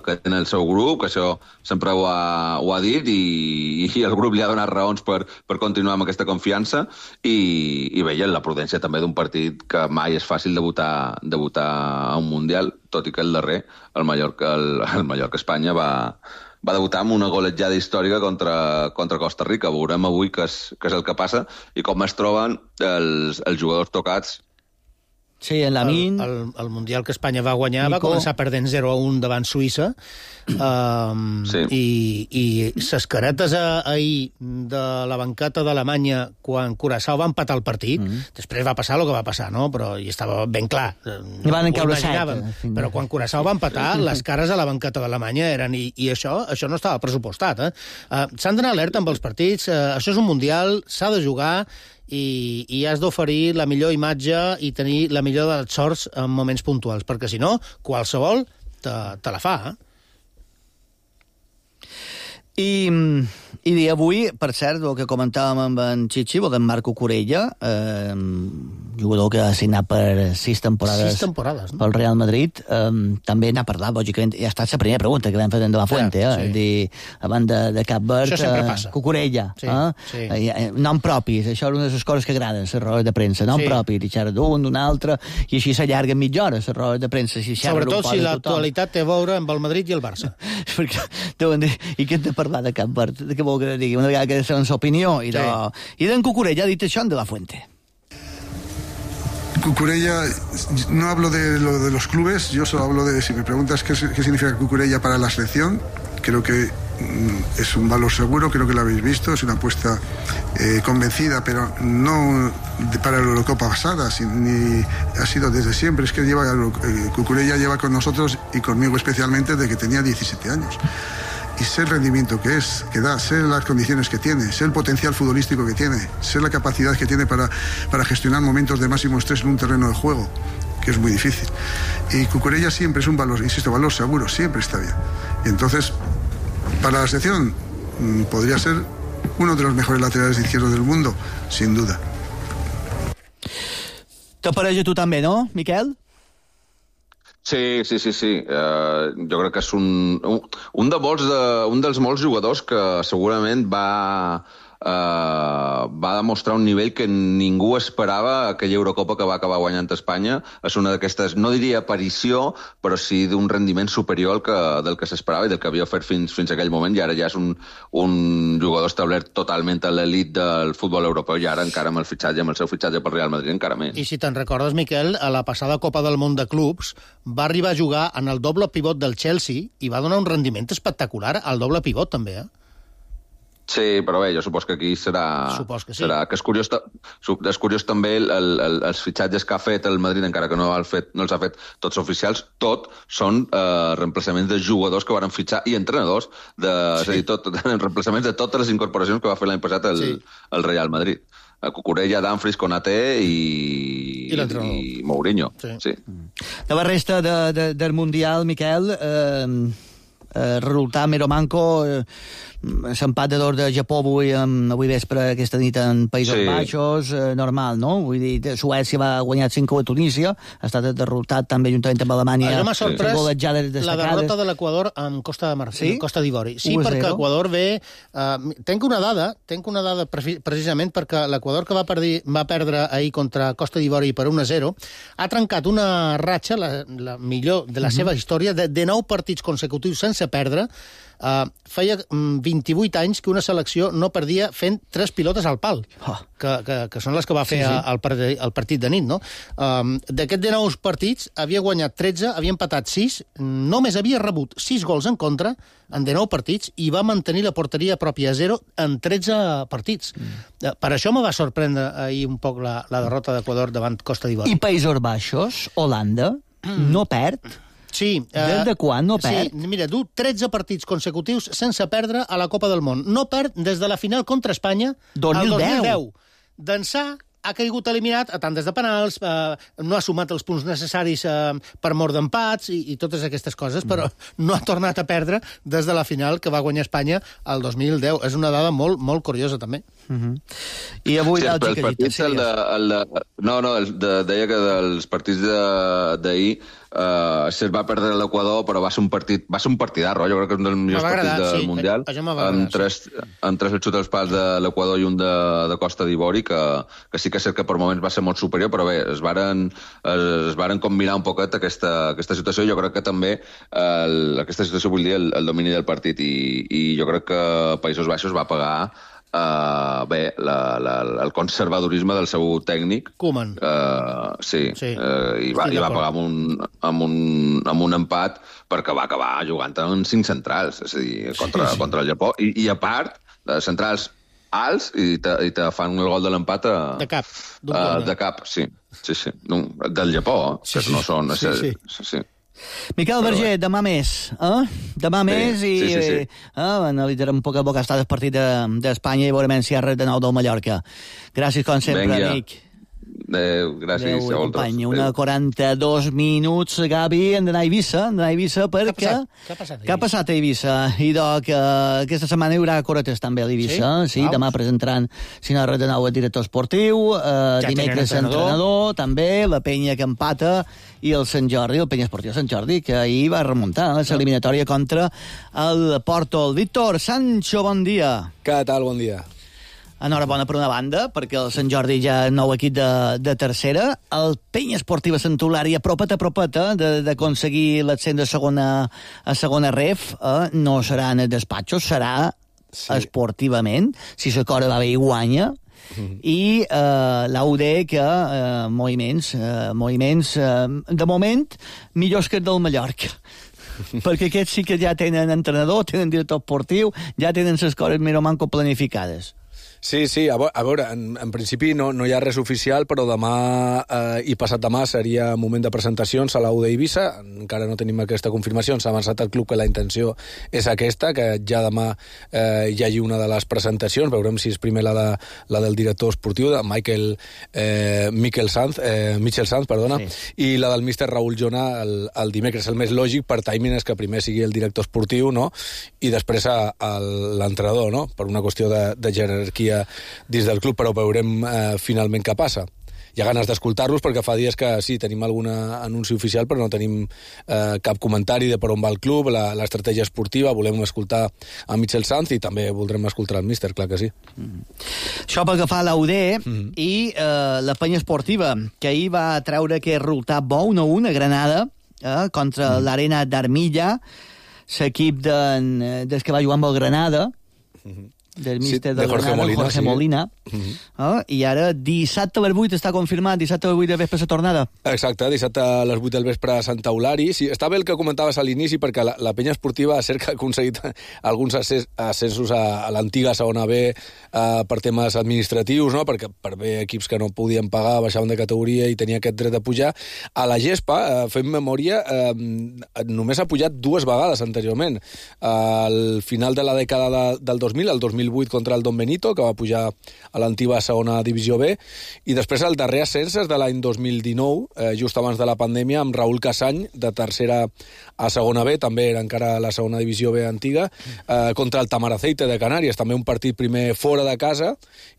té en el seu grup, que això sempre ho ha dit i el grup li ha donat raons per continuar amb aquesta confiança i bé, la prudència també d'un partit que mai és fàcil debutar a un Mundial, tot i que el darrer, el Mallorca-Espanya va debutar amb una golejada històrica contra Costa Rica. Veurem avui què és el que passa i com es troben els jugadors tocats. Sí, en Lamin. El Mundial que Espanya va guanyar va començar perdent 0-1 davant Suïssa i ses caretes ahir de la banqueta d'Alemanya quan Curaçao va empatar el partit, després va passar el que va passar, no? Però hi estava ben clar. Van encaure però quan Curaçao va empatar, les cares a la banqueta d'Alemanya eren... I això no estava pressupostat. S'han d'anar alerta amb els partits. Això és un Mundial, s'ha de jugar i has d'oferir la millor imatge i tenir la millor de les sorts en moments puntuals, perquè si no, qualsevol te la fa. I avui, per cert, el que comentàvem amb en Chichi, el d'en Marco Corella, jugador que ha signat per 6 temporades, no? Pel Real Madrid, també n'ha parlat, lògicament, ja ha estat la primera pregunta que vam fer de la Fuente, és dir, abans de Cap Verd, Cucurella, nom propis, això és una de les coses que agraden, les rodes de premsa, nom propi, i xerra d'un altre, i així s'allarguen mitja hora, les rodes de premsa. Sobretot si l'actualitat té a veure amb el Madrid i el Barça. I què hem de parlar de Cap Verd? Què vol que digui? Una vegada que és la opinió. I d'en Cucurella ha dit això de la Fuente. Cucurella, no hablo de lo de los clubes, yo solo hablo de, si me preguntas qué significa Cucurella para la selección, creo que es un valor seguro, creo que lo habéis visto, es una apuesta convencida, pero no para la Eurocopa pasada, ni ha sido desde siempre. Es que Cucurella lleva con nosotros y conmigo especialmente desde que tenía 17 años. Y sé el rendimiento que da, sé las condiciones que tiene, sé el potencial futbolístico que tiene, sé la capacidad que tiene para gestionar momentos de máximo estrés en un terreno de juego, que es muy difícil. Y Cucurella siempre es un valor, insisto, valor seguro, siempre está bien. Y entonces, para la selección, podría ser uno de los mejores laterales izquierdos del mundo, sin duda. T'apareix a tu també, no, Miquel? Sí. Jo crec que és un dels molts jugadors que segurament va demostrar un nivell que ningú esperava aquella Eurocopa que va acabar guanyant Espanya. És una d'aquestes, no diria aparició, però sí d'un rendiment superior del que s'esperava i del que havia fet fins a aquell moment, i ara ja és un jugador establert totalment a l'elit del futbol europeu, i ara encara amb el seu fitxatge pel Real Madrid encara més. I si te'n recordes, Miquel, a la passada Copa del Món de Clubs va arribar a jugar en el doble pivot del Chelsea i va donar un rendiment espectacular al doble pivot també, Sí, però bé, jo supos que aquí serà... Supos que sí. És curiós també els fitxatges que ha fet el Madrid, encara que no els ha fet tots oficials, tot són reemplaçaments de jugadors que van fitxar i entrenadors, és a dir, reemplaçaments de totes les incorporacions que va fer l'any passat el Real Madrid. Cucurella, Dumfries, Konaté i Mourinho. Sí. De la resta del Mundial, Miquel, resultat Miromanco, s'empat de d'or de Japó avui vespre, aquesta nit en Països Baixos, normal, no? Vull dir, Suècia va guanyar 5 a Tunísia, ha estat derrotat també juntament amb Alemanya. Això m'ha sorprès la derrota de l'Equador amb Costa d'Ivori. Sí, perquè Equador ve... Tenc una dada precisament perquè l'Equador que va perdre ahir contra Costa d'Ivori per 1-0 ha trencat una ratxa, la millor de la seva història, de 9 partits consecutius sense perdre. Feia 28 anys que una selecció no perdia fent 3 pilotes al pal, que són les que va fer el partit de nit, no? D'aquests 19 partits havia guanyat 13, havia empatat 6, només havia rebut 6 gols en contra en 19 partits i va mantenir la porteria pròpia a 0 en 13 partits. Per això me va sorprendre ahir un poc la derrota d'Equador davant Costa d'Ivori. I Països Baixos, Holanda, no perd? Sí. Des de quan no perd? Sí, mira, du 13 partits consecutius sense perdre a la Copa del Món. No perd des de la final contra Espanya al 2010. D'ençà ha caigut eliminat a tantes de penals, no ha sumat els punts necessaris per mort d'empats i totes aquestes coses, però no ha tornat a perdre des de la final que va guanyar Espanya el 2010. És una dada molt, molt curiosa, també. I avui deia que dels partits d'ahir se'l va perdre l'Equador, però va ser un partidarro. Jo crec que és un dels millors partits del Mundial. Amb tres xuts als pals de l'Equador i un de Costa d'Ivori, que sí que és cert que per moments va ser molt superior, però bé, es varen combinar un poquet aquesta situació. Jo crec que també aquesta situació, vull dir, el domini del partit, i jo crec que Països Baixos va pagar el conservadorisme del seu tècnic. Koeman. I va pagar amb un empat perquè va acabar jugant en 5 centrals, és a dir, contra el Japó. I a part, centrals alts, i te fan el gol de l'empat de cap. De cap, sí. Del Japó, que no són... Sí. Miquel Berger, demà més, Demà més i analitzarem un poc el que ha estat el partit d'Espanya i veurem si hi ha res de nou del Mallorca. Gràcies, com sempre, amic. Gràcies a vosaltres. Una 42 minuts, Gavi, hem d'anar a Eivissa perquè... Què ha passat a Eivissa? I aquesta setmana hi haurà coretes també a l'Eivissa. Sí, demà presentaran, si no res de nou, el director esportiu, dimecres entrenador, també, la penya que empata, i el Sant Jordi, el penya esportiu Sant Jordi, que ahir va remuntar l'eliminatòria contra el Porto. El Víctor Sancho, bon dia. Què tal, bon dia. Enhorabona per una banda, perquè el Sant Jordi ja nou equip de tercera. El penya esportiva Sant Eulària apropet d'aconseguir l'ascens a segona ref. No serà en els despatxos, serà esportivament. Si la cosa va bé i guanya. I l'AUD que moviments de moment millors que el del Mallorca. perquè aquests sí que ja tenen entrenador, tenen director esportiu, ja tenen les coses més o manco planificades. Sí, a veure, en principi no hi ha res oficial, però demà i passat demà seria moment de presentacions a l'U d'Eivissa. Encara no tenim aquesta confirmació, s'ha avançat al club que la intenció és aquesta, que ja demà hi hagi una de les presentacions. Veurem si és primer la del director esportiu, de Michel Sanz, i la del míster Raúl Jona el dimecres. El més lògic per timing és que primer sigui el director esportiu, no?, i després l'entrenador, no?, per una qüestió de jerarquia dins del club, però veurem finalment què passa. Hi ha ganes d'escoltar-los perquè fa dies que sí, tenim algun anunci oficial, però no tenim cap comentari de per on va el club, l'estratègia esportiva. Volem escoltar a Michel Sanz i també voldrem escoltar el míster, clar que sí. Això pel que fa a l'UD i la penya esportiva, que ahir va treure aquest resultat bo, 1-1 a Granada, contra l'Arena d'Armilla, l'equip des que va jugar amb el Granada, del míster de Jorge Molina. I ara dissabte a les 8 està confirmat, dissabte a les 8 de vespre la tornada. Exacte, dissabte a les 8 del vespre a Santa Eulària. Sí, està bé el que comentaves a l'inici, perquè la penya esportiva ha aconseguit alguns ascensos a l'antiga segona B per temes administratius, no?, perquè per bé equips que no podien pagar baixaven de categoria i tenia aquest dret de pujar. A la Gespa, fem memòria, només ha pujat 2 vegades anteriorment. Al final de la dècada del 2000, el 2008 contra el Don Benito, que va pujar a l'antiga segona divisió B, i després el darrer ascens és de l'any 2019, just abans de la pandèmia, amb Raúl Casany, de tercera a segona B, també era encara la segona divisió B antiga, contra el Tamaraceite de Canàries, també un partit primer fora de casa,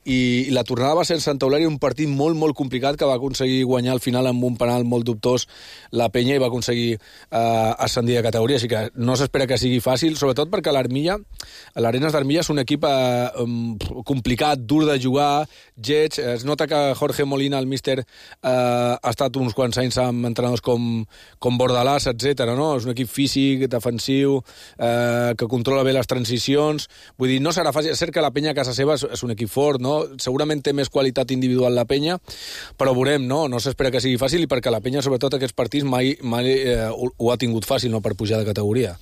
i la tornada va ser en Santa Eulària, un partit molt, molt complicat, que va aconseguir guanyar al final amb un penal molt dubtós la penya i va aconseguir ascendir de categoria, així que no s'espera que sigui fàcil, sobretot perquè l'Arenas d'Armilla és un equip complicat, dur de jugar, lleig. Es nota que Jorge Molina, el míster, ha estat uns quants anys amb entrenadors com Bordalàs, etc. No? És un equip físic, defensiu, que controla bé les transicions. Vull dir, no serà fàcil. És cert que la penya a casa seva és un equip fort, no? Segurament té més qualitat individual la penya, però veurem, no? No s'espera que sigui fàcil, i perquè la penya, sobretot aquests partits, mai ho ha tingut fàcil, no?, per pujar de categoria.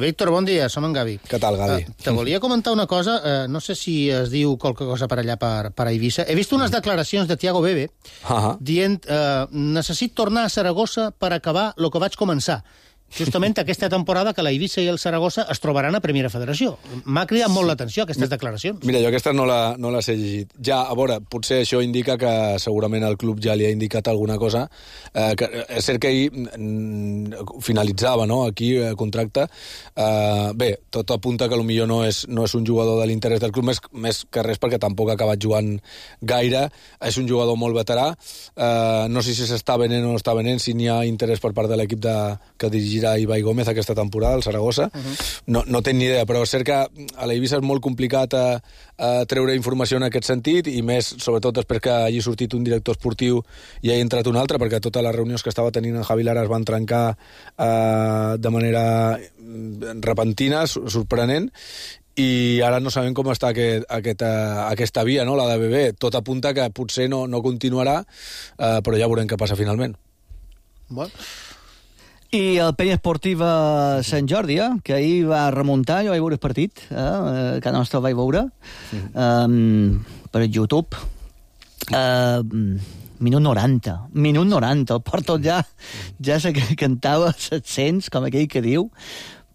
Víctor, bon dia, som en Gavi. Què tal, Gavi? Te volia comentar una cosa, no sé si es diu qualque cosa per allà per Eivissa. He vist unes declaracions de Thiago Bebe dient necessito tornar a Saragossa per acabar el que vaig començar. Justament aquesta temporada que la Eivissa i el Saragossa es trobaran a Primera Federació. M'ha cridat molt l'atenció aquestes declaracions. Mira, jo aquesta no les he llegit. Ja, a veure, potser això indica que segurament el club ja li ha indicat alguna cosa. És cert que ahir finalitzava, no?, aquí contracte. Bé, tot apunta que potser no és un jugador de l'interès del club, més que res perquè tampoc ha acabat jugant gaire. És un jugador molt veterà. No sé si s'està venent o no està venent, si n'hi ha interès per part de l'equip que dirigirà Ibai Gómez aquesta temporada, al Saragossa. No tenc ni idea, però és cert que a l'Eivissa és molt complicat treure informació en aquest sentit, i més, sobretot, després que hagi sortit un director esportiu i hagi entrat un altre, perquè totes les reunions que estava tenint en Javi Lara es van trencar de manera repentina, sorprenent, i ara no sabem com està aquesta via, no?, la de BB. Tot apunta que potser no continuarà, però ja veurem què passa finalment. Bueno. I el penya esportiva Sant Jordi, que ahir va remuntar, jo vaig veure el partit, que nostre el vaig veure, per YouTube. Minut 90, el Porto ja se cantava 700, com aquell que diu,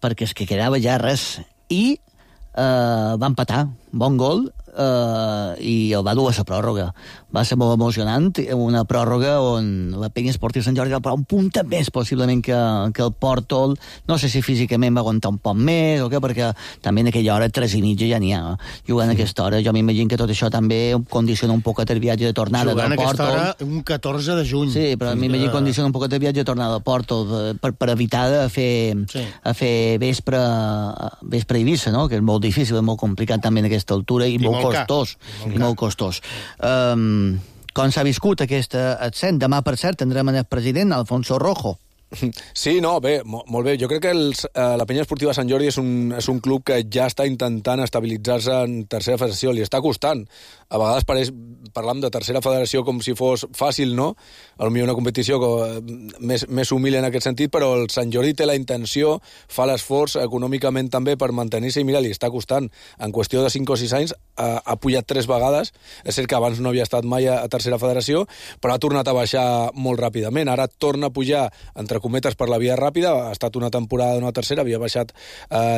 perquè és que quedava ja res. I va empatar, bon gol, i el va dur a la pròrroga. Va ser molt emocionant, una pròrroga on la penya esportiva Sant Jordi va parar un punt més, possiblement, que el Porto. No sé si físicament va aguantar un poc més o què, perquè també en aquella hora 3:30 ja n'hi ha. Jugant a aquesta hora, jo m'imagino que tot això també condiciona un poc el viatge de tornada del Porto. Jugant a aquesta hora, un 14 de juny. Sí, però m'imagino que condiciona un poc el viatge de tornada del Porto per evitar de fer vespre a Eivissa, no?, que és molt difícil, és molt complicat també en aquesta altura i molt costós. Com s'ha viscut aquest ascens? Demà, per cert, tindrem el president, Alfonso Rojo. Sí, no, bé, molt bé. Jo crec que la Penya Esportiva Sant Jordi és un club que ja està intentant estabilitzar-se en tercera federació. Li està costant. A vegades parlam de tercera federació com si fos fàcil, no? Potser una competició més humil en aquest sentit, però el Sant Jordi té la intenció, fa l'esforç econòmicament també per mantenir-se i mira, li està costant. En qüestió de 5 o 6 anys ha pujat 3 vegades. És cert que abans no havia estat mai a tercera federació, però ha tornat a baixar molt ràpidament. Ara torna a pujar, entre cometes, per la via ràpida. Ha estat una temporada d'una tercera, havia baixat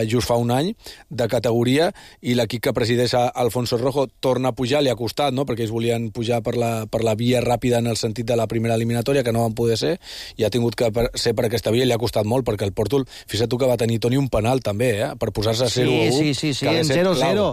just fa un any de categoria, i l'equip que presideix Alfonso Rojo torna a pujar. Li ha costat, no?, perquè ells volien pujar per la via ràpida en el sentit de la primera eliminatòria, que no van poder ser, i ha tingut que ser per aquesta via, i li ha costat molt, perquè el Porto, fixa't tu que va tenir, Toni, un penal també, per posar-se a 0-1. Sí, en 0-0.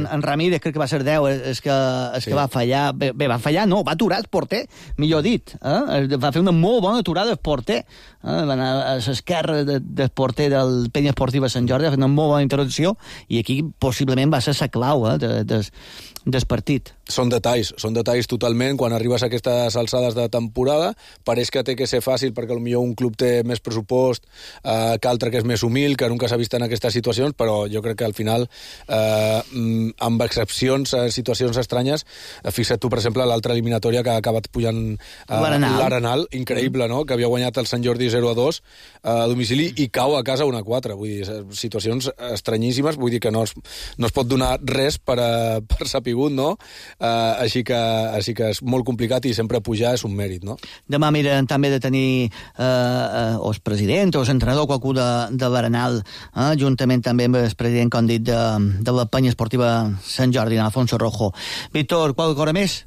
En Ramírez, crec que va ser 10, és que va fallar. Bé, va fallar, no, va aturar el porter, millor dit. Va fer una molt bona aturada el porter. Va anar a l'esquerra del porter del Penya Esportiva Sant Jordi, va fer una molt bona intervenció, i aquí possiblement va ser la clau del partit. Són detalls totalment. Quan arribes a aquestes alçades de temporada, pareix que té que ser fàcil perquè potser un club té més pressupost que altre que és més humil, que nunca s'ha vist en aquestes situacions, però jo crec que al final, amb excepcions, situacions estranyes, fixa't tu, per exemple, l'altra eliminatòria que ha acabat pujant l'Arenal, increïble, no?, que havia guanyat el Sant Jordi 0-2 a domicili i cau a casa 1-4. Vull dir, situacions estranyíssimes, vull dir que no es pot donar res per sapigut, no? Així que és molt complicat, i sempre pujar és un mèrit, no? Demà miren també de tenir o el president o l'entrenador, qualcú de l'Arenal, juntament també amb el president, com dit, de la Penya Esportiva Sant Jordi, Alfonso Rojo. Víctor, qualque cosa més?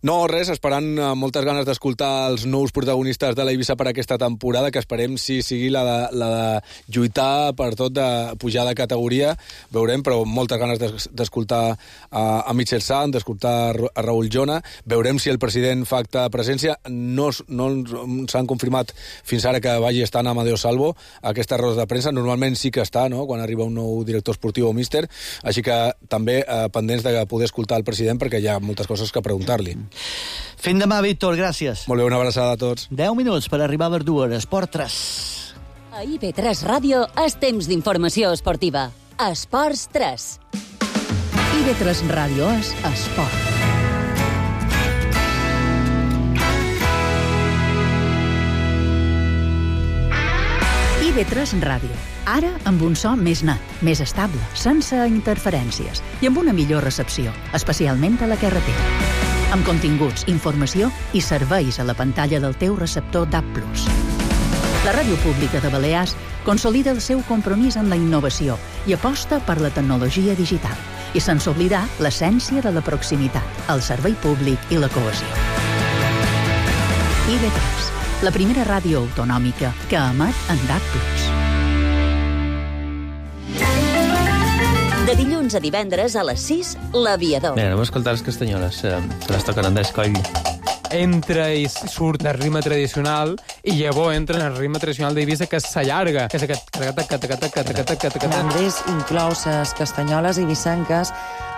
No, res, esperant moltes ganes d'escoltar els nous protagonistes de l'Eivissa per aquesta temporada, que esperem sigui la de lluitar per tot, de pujar de categoria, veurem, però moltes ganes d'escoltar a Michel Sant, d'escoltar a Raúl Jona. Veurem si el president fa acte de presència. No s'han confirmat fins ara que vagi estar Amadeo Salvo a aquestes rodes de premsa. Normalment sí que està, no?, quan arriba un nou director esportiu o míster. Així que també pendents de poder escoltar el president, perquè hi ha moltes coses que preguntar-li. Fins demà, Víctor, gràcies. Molt bé, una abraçada a tots. 10 minuts per arribar a les 2. Esport 3. A IB3 Ràdio és temps d'informació esportiva. Esports 3. IB3 Ràdio és esport. IB3 Ràdio. Ara amb un so més net, més estable, sense interferències i amb una millor recepció, especialment a la carretera. Amb continguts, informació i serveis a la pantalla del teu receptor DAB+. La Ràdio Pública de Balears consolida el seu compromís amb la innovació i aposta per la tecnologia digital, i sense oblidar l'essència de la proximitat, el servei públic i la cohesió. IB3, la primera ràdio autonòmica que emet en DAB+. De dilluns a divendres a les 6, l'Aviador. Bé, anem a escoltar les castanyoles, que les toquen Andrés Coll. Entra i surt el ritme tradicional i llavors entra en el ritme tradicional d'Eivissa, que s'allarga, que és aquest... Andrés inclou les castanyoles eivissenques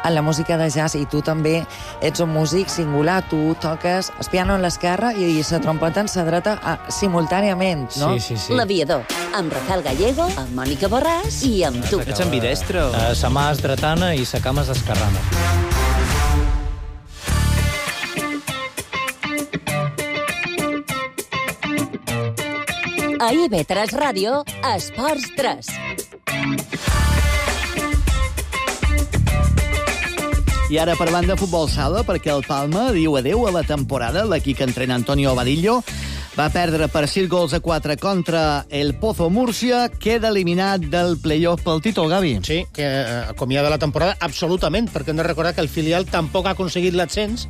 en la música de jazz, i tu també ets un músic singular. Tu toques el piano en l'esquerra i la trompeta en la dreta simultàniament, no? Sí. L'Aviador, amb Rafael Gallego, amb Mònica Borràs i amb tu. Ets ambidestre? Sa mà és dretana i sa cama és esquerrana. A IB3 Ràdio, Esports 3. I ara parlant de futbol sala, perquè el Palma diu adeu a la temporada. L'equip que entrena Antonio Vadillo va perdre per 6-4 contra el Pozo Múrcia, queda eliminat del play-off pel títol, Gavi. Sí, que acomiada la temporada absolutament, perquè hem de recordar que el filial tampoc ha aconseguit l'ascens,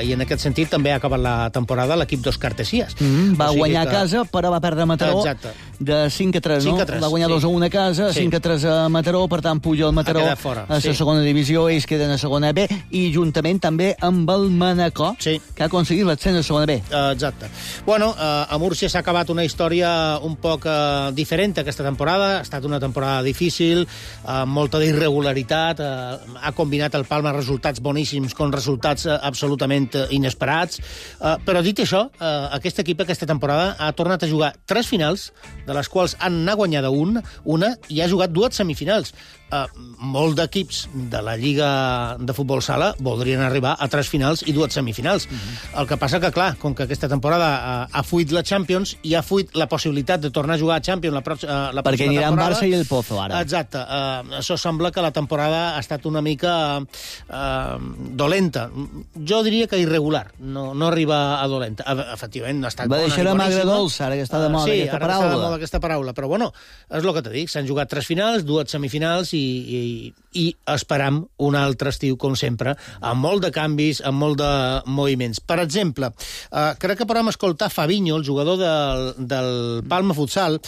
i en aquest sentit també ha acabat la temporada l'equip d'Òscar Tessias. Va guanyar a casa, però va perdre a Mataró. Exacte. de 5-3, no? 5-3, va guanyar 2-1 a casa, 5-3 a Mataró, per tant puja el Mataró a la segona divisió, ells queden a segona B, i juntament també amb el Manacor, que ha aconseguit l'ascens a segona B. Exacte. Bueno, a Múrcia s'ha acabat una història un poc diferent aquesta temporada, ha estat una temporada difícil, amb molta d'irregularitat, ha combinat el Palma resultats boníssims con resultats absolutament inesperats, però dit això, aquest equip aquesta temporada ha tornat a jugar 3 finals, de les quals n'ha guanyada una, i ha jugat 2 semifinals. Molt d'equips de la Lliga de Futbol Sala voldrien arribar a 3 finals i 2 semifinals. El que passa que, clar, com que aquesta temporada ha fuit la Champions i ha fuit la possibilitat de tornar a jugar a Champions la pròxima temporada... Perquè aniran Barça i el Pozo, ara. Exacte. Això sembla que la temporada ha estat una mica dolenta. Jo diria que irregular. No arriba a dolenta. Efectivament, no ha estat bona. Va deixar a magre dolça, ara que està de moda aquesta paraula. Sí, ara està de moda aquesta paraula. Però, bueno, és el que t'he dit. S'han jugat 3 finals, 2 semifinals i esperam un altre estiu, com sempre, amb molt de canvis, amb molt de moviments. Per exemple, crec que podem escoltar Fabinho, el jugador del Palma Futsal.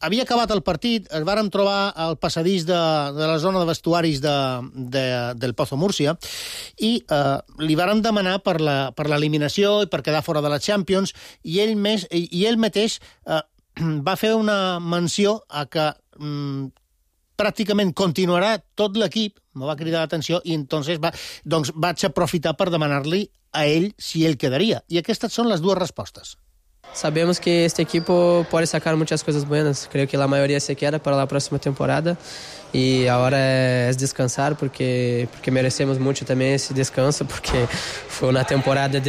Havia acabat el partit, es vàrem trobar al passadís de la zona de vestuaris del Pozo Múrcia i li vàrem demanar per l'eliminació i per quedar fora de la Champions, i ell mateix va fer una menció a que pràcticament continuarà tot l'equip, me va cridar l'atenció, i entonces vaig aprofitar per demanar-li a ell si ell quedaria. I aquestes són les 2 respostes. Sabemos que este equipo puede sacar muchas cosas buenas. Creo que la mayoría se queda para la próxima temporada y ahora es descansar porque merecemos mucho también ese descanso, porque fue una temporada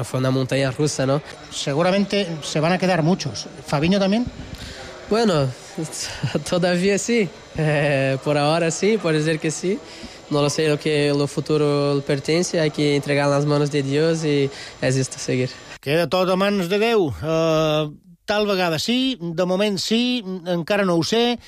fue una montaña rusa, ¿no? Seguramente se van a quedar muchos. ¿Fabinho también? Bueno, todavía sí. Por ahora sí, puede ser que sí. No lo sé, lo que el futuro pertenece, hay que entregar en las manos de Dios y es esto, seguir. Queda tot a mans de Déu. Tal vegada sí, de moment sí, encara no ho sé,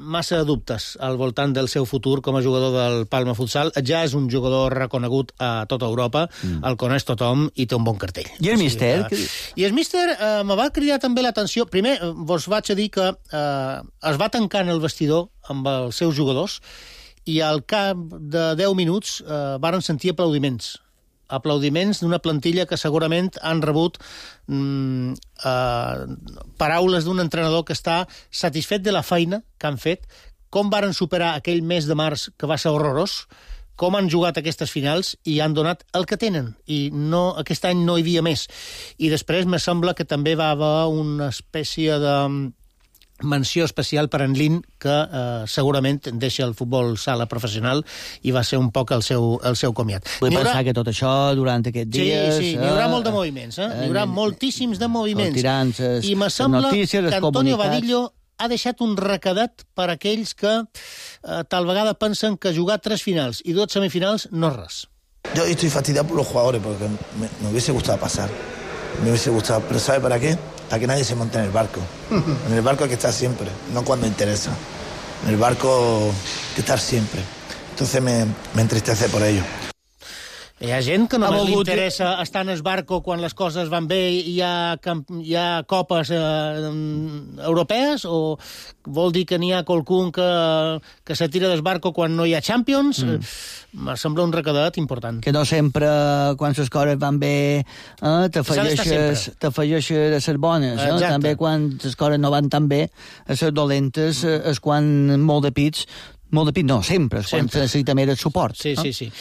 massa dubtes al voltant del seu futur com a jugador del Palma Futsal. Ja és un jugador reconegut a tota Europa, el coneix tothom i té un bon cartell. I el míster? I el míster me va cridar també l'atenció. Primer, vos vaig a dir que es va tancar en el vestidor amb els seus jugadors i al cap de 10 minuts varen sentir aplaudiments d'una plantilla que segurament han rebut paraules d'un entrenador que està satisfet de la feina que han fet, com varen superar aquell mes de març que va ser horrorós, com han jugat aquestes finals i han donat el que tenen. I aquest any no hi havia més. I després me sembla que també va haver una espècie de menció especial per en Lin, que segurament deixa el futbol sala professional i va ser un poc el seu comiat. Vull pensar que tot això durant aquests dies... Sí, n'hi haurà molt de moviments, n'hi haurà moltíssims de moviments. Tirances, i me sembla que Antonio Vadillo ha deixat un recadat per a aquells que tal vegada pensen que jugar 3 finals i 2 semifinals no és res. Yo estoy fastidiado por los jugadores porque me hubiese gustado pasar. Me hubiese gustado, pero ¿sabe para qué? Para que nadie se monte en el barco. En el barco hay que estar siempre, no cuando interesa. En el barco hay que estar siempre. Entonces me entristece por ello. Hi ha gent que només li interessa estar en el barco quan les coses van bé i hi ha copes europees, o vol dir que n'hi ha qualcun que se tira del barco quan no hi ha Champions? Me sembla un recadat important. Que no sempre, quan les coses van bé, t'afegeixes a les bones. També quan les coses no van tan bé, a les dolentes és quan molt de pits, no, sempre, és quan necessita més el suport. Sí.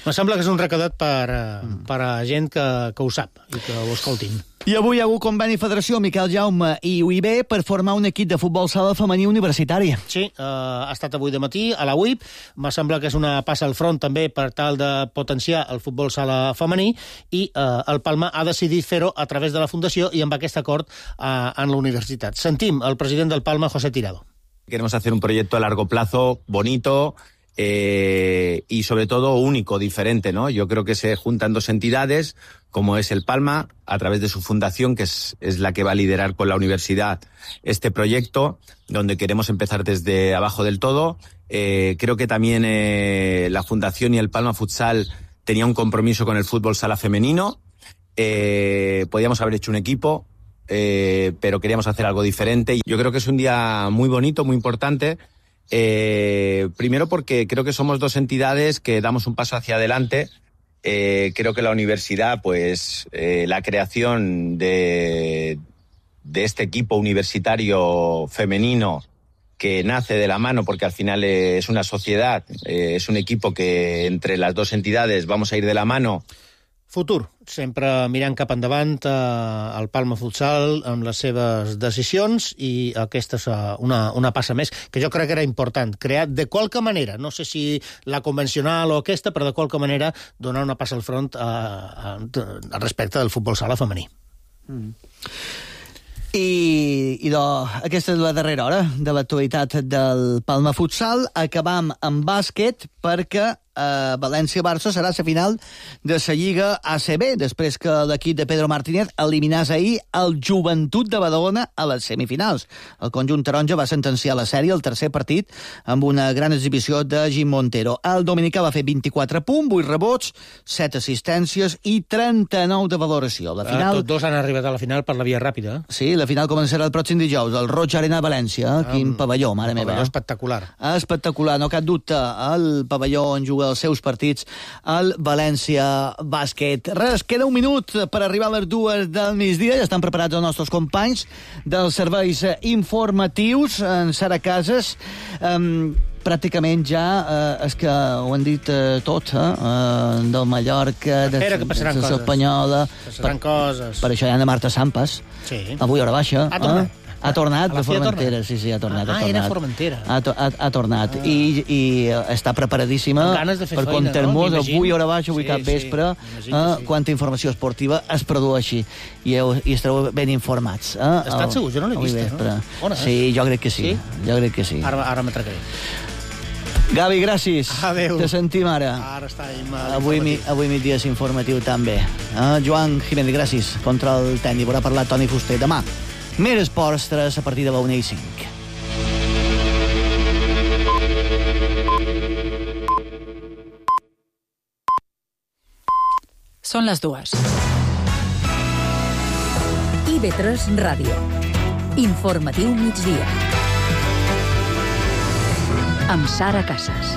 Me sembla que és un recadat per a gent que ho sap i que ho escoltin. I avui hi ha hagut conveni Federació Miquel Jaume i UIB per formar un equip de futbol sala femení universitari. Sí, ha estat avui de matí a la UIB. Me sembla que és una passa al front també per tal de potenciar el futbol sala femení, i el Palma ha decidit fer-ho a través de la Fundació i amb aquest acord en la universitat. Sentim el president del Palma, José Tirado. Queremos hacer un proyecto a largo plazo, bonito, y sobre todo único, diferente, ¿no? Yo creo que se juntan 2 entidades, como es el Palma, a través de su fundación, que es la que va a liderar con la universidad este proyecto, donde queremos empezar desde abajo del todo. Creo que también la fundación y el Palma Futsal tenía un compromiso con el fútbol sala femenino. Podíamos haber hecho un equipo, pero queríamos hacer algo diferente. Yo creo que es un día muy bonito, muy importante. Primero porque creo que somos dos entidades que damos un paso hacia adelante. Creo que la universidad, pues la creación de este equipo universitario femenino que nace de la mano, porque al final es una sociedad, és un equipo que entre les dues entidades vamos a ir de la mano. Futur, sempre mirant cap endavant el Palma Futsal amb les seves decisions, i aquesta és una passa més, que jo crec que era important, crear de qualque manera, no sé si la convencional o aquesta, però de qualque manera donar una passa al front al respecte del futbol sala femení. I aquesta és la darrera hora de l'actualitat del Palma Futsal. Acabam amb bàsquet perquè València-Barça serà la final de la Lliga ACB, després que l'equip de Pedro Martínez eliminés ahir el Joventut de Badalona a les semifinals. El conjunt taronja va sentenciar la sèrie al tercer partit amb una gran exhibició de Jim Montero. El dominicà va fer 24 punts, 8 rebots, 7 assistències i 39 de valoració. La final... Tots dos han arribat a la final per la via ràpida. Sí, la final començarà el pròxim dijous, al Roig Arena de València. Quin pavelló, mare meva. Pavelló espectacular. Espectacular, no cap dubte. El pavelló on juga els seus partits al València Bàsquet. Res, queda un minut per arribar a les 2 del migdia. Ja estan preparats els nostres companys dels serveis informatius en Sara Casas. Pràcticament ja és que ho han dit tot, del Mallorca, de la selecció espanyola. Passaran coses. Per això hi ha de Marta Sampas. Sí. Avui hora baixa. Ha tornat de Formentera. Sí, ha tornat. Era Formentera. Ha tornat. I està preparadíssima per contar-nos avui hora baixa, avui cap vespre, quanta informació esportiva es produeixi. I estareu ben informats. Estàs segur? Jo no l'he vist, no? Sí, jo crec que sí. Ara m'atracaré. Gavi, gràcies. Adéu. Te sentim ara. Ara està avui migdia és informatiu també. Joan Jiménez, gràcies. Control tècnic. Haurà parlat Toni Fuster. Demà, més esports 3 a partir de la 1:05. Són les 2. IB3 Ràdio. Informatiu migdia. Amb Sara Casas.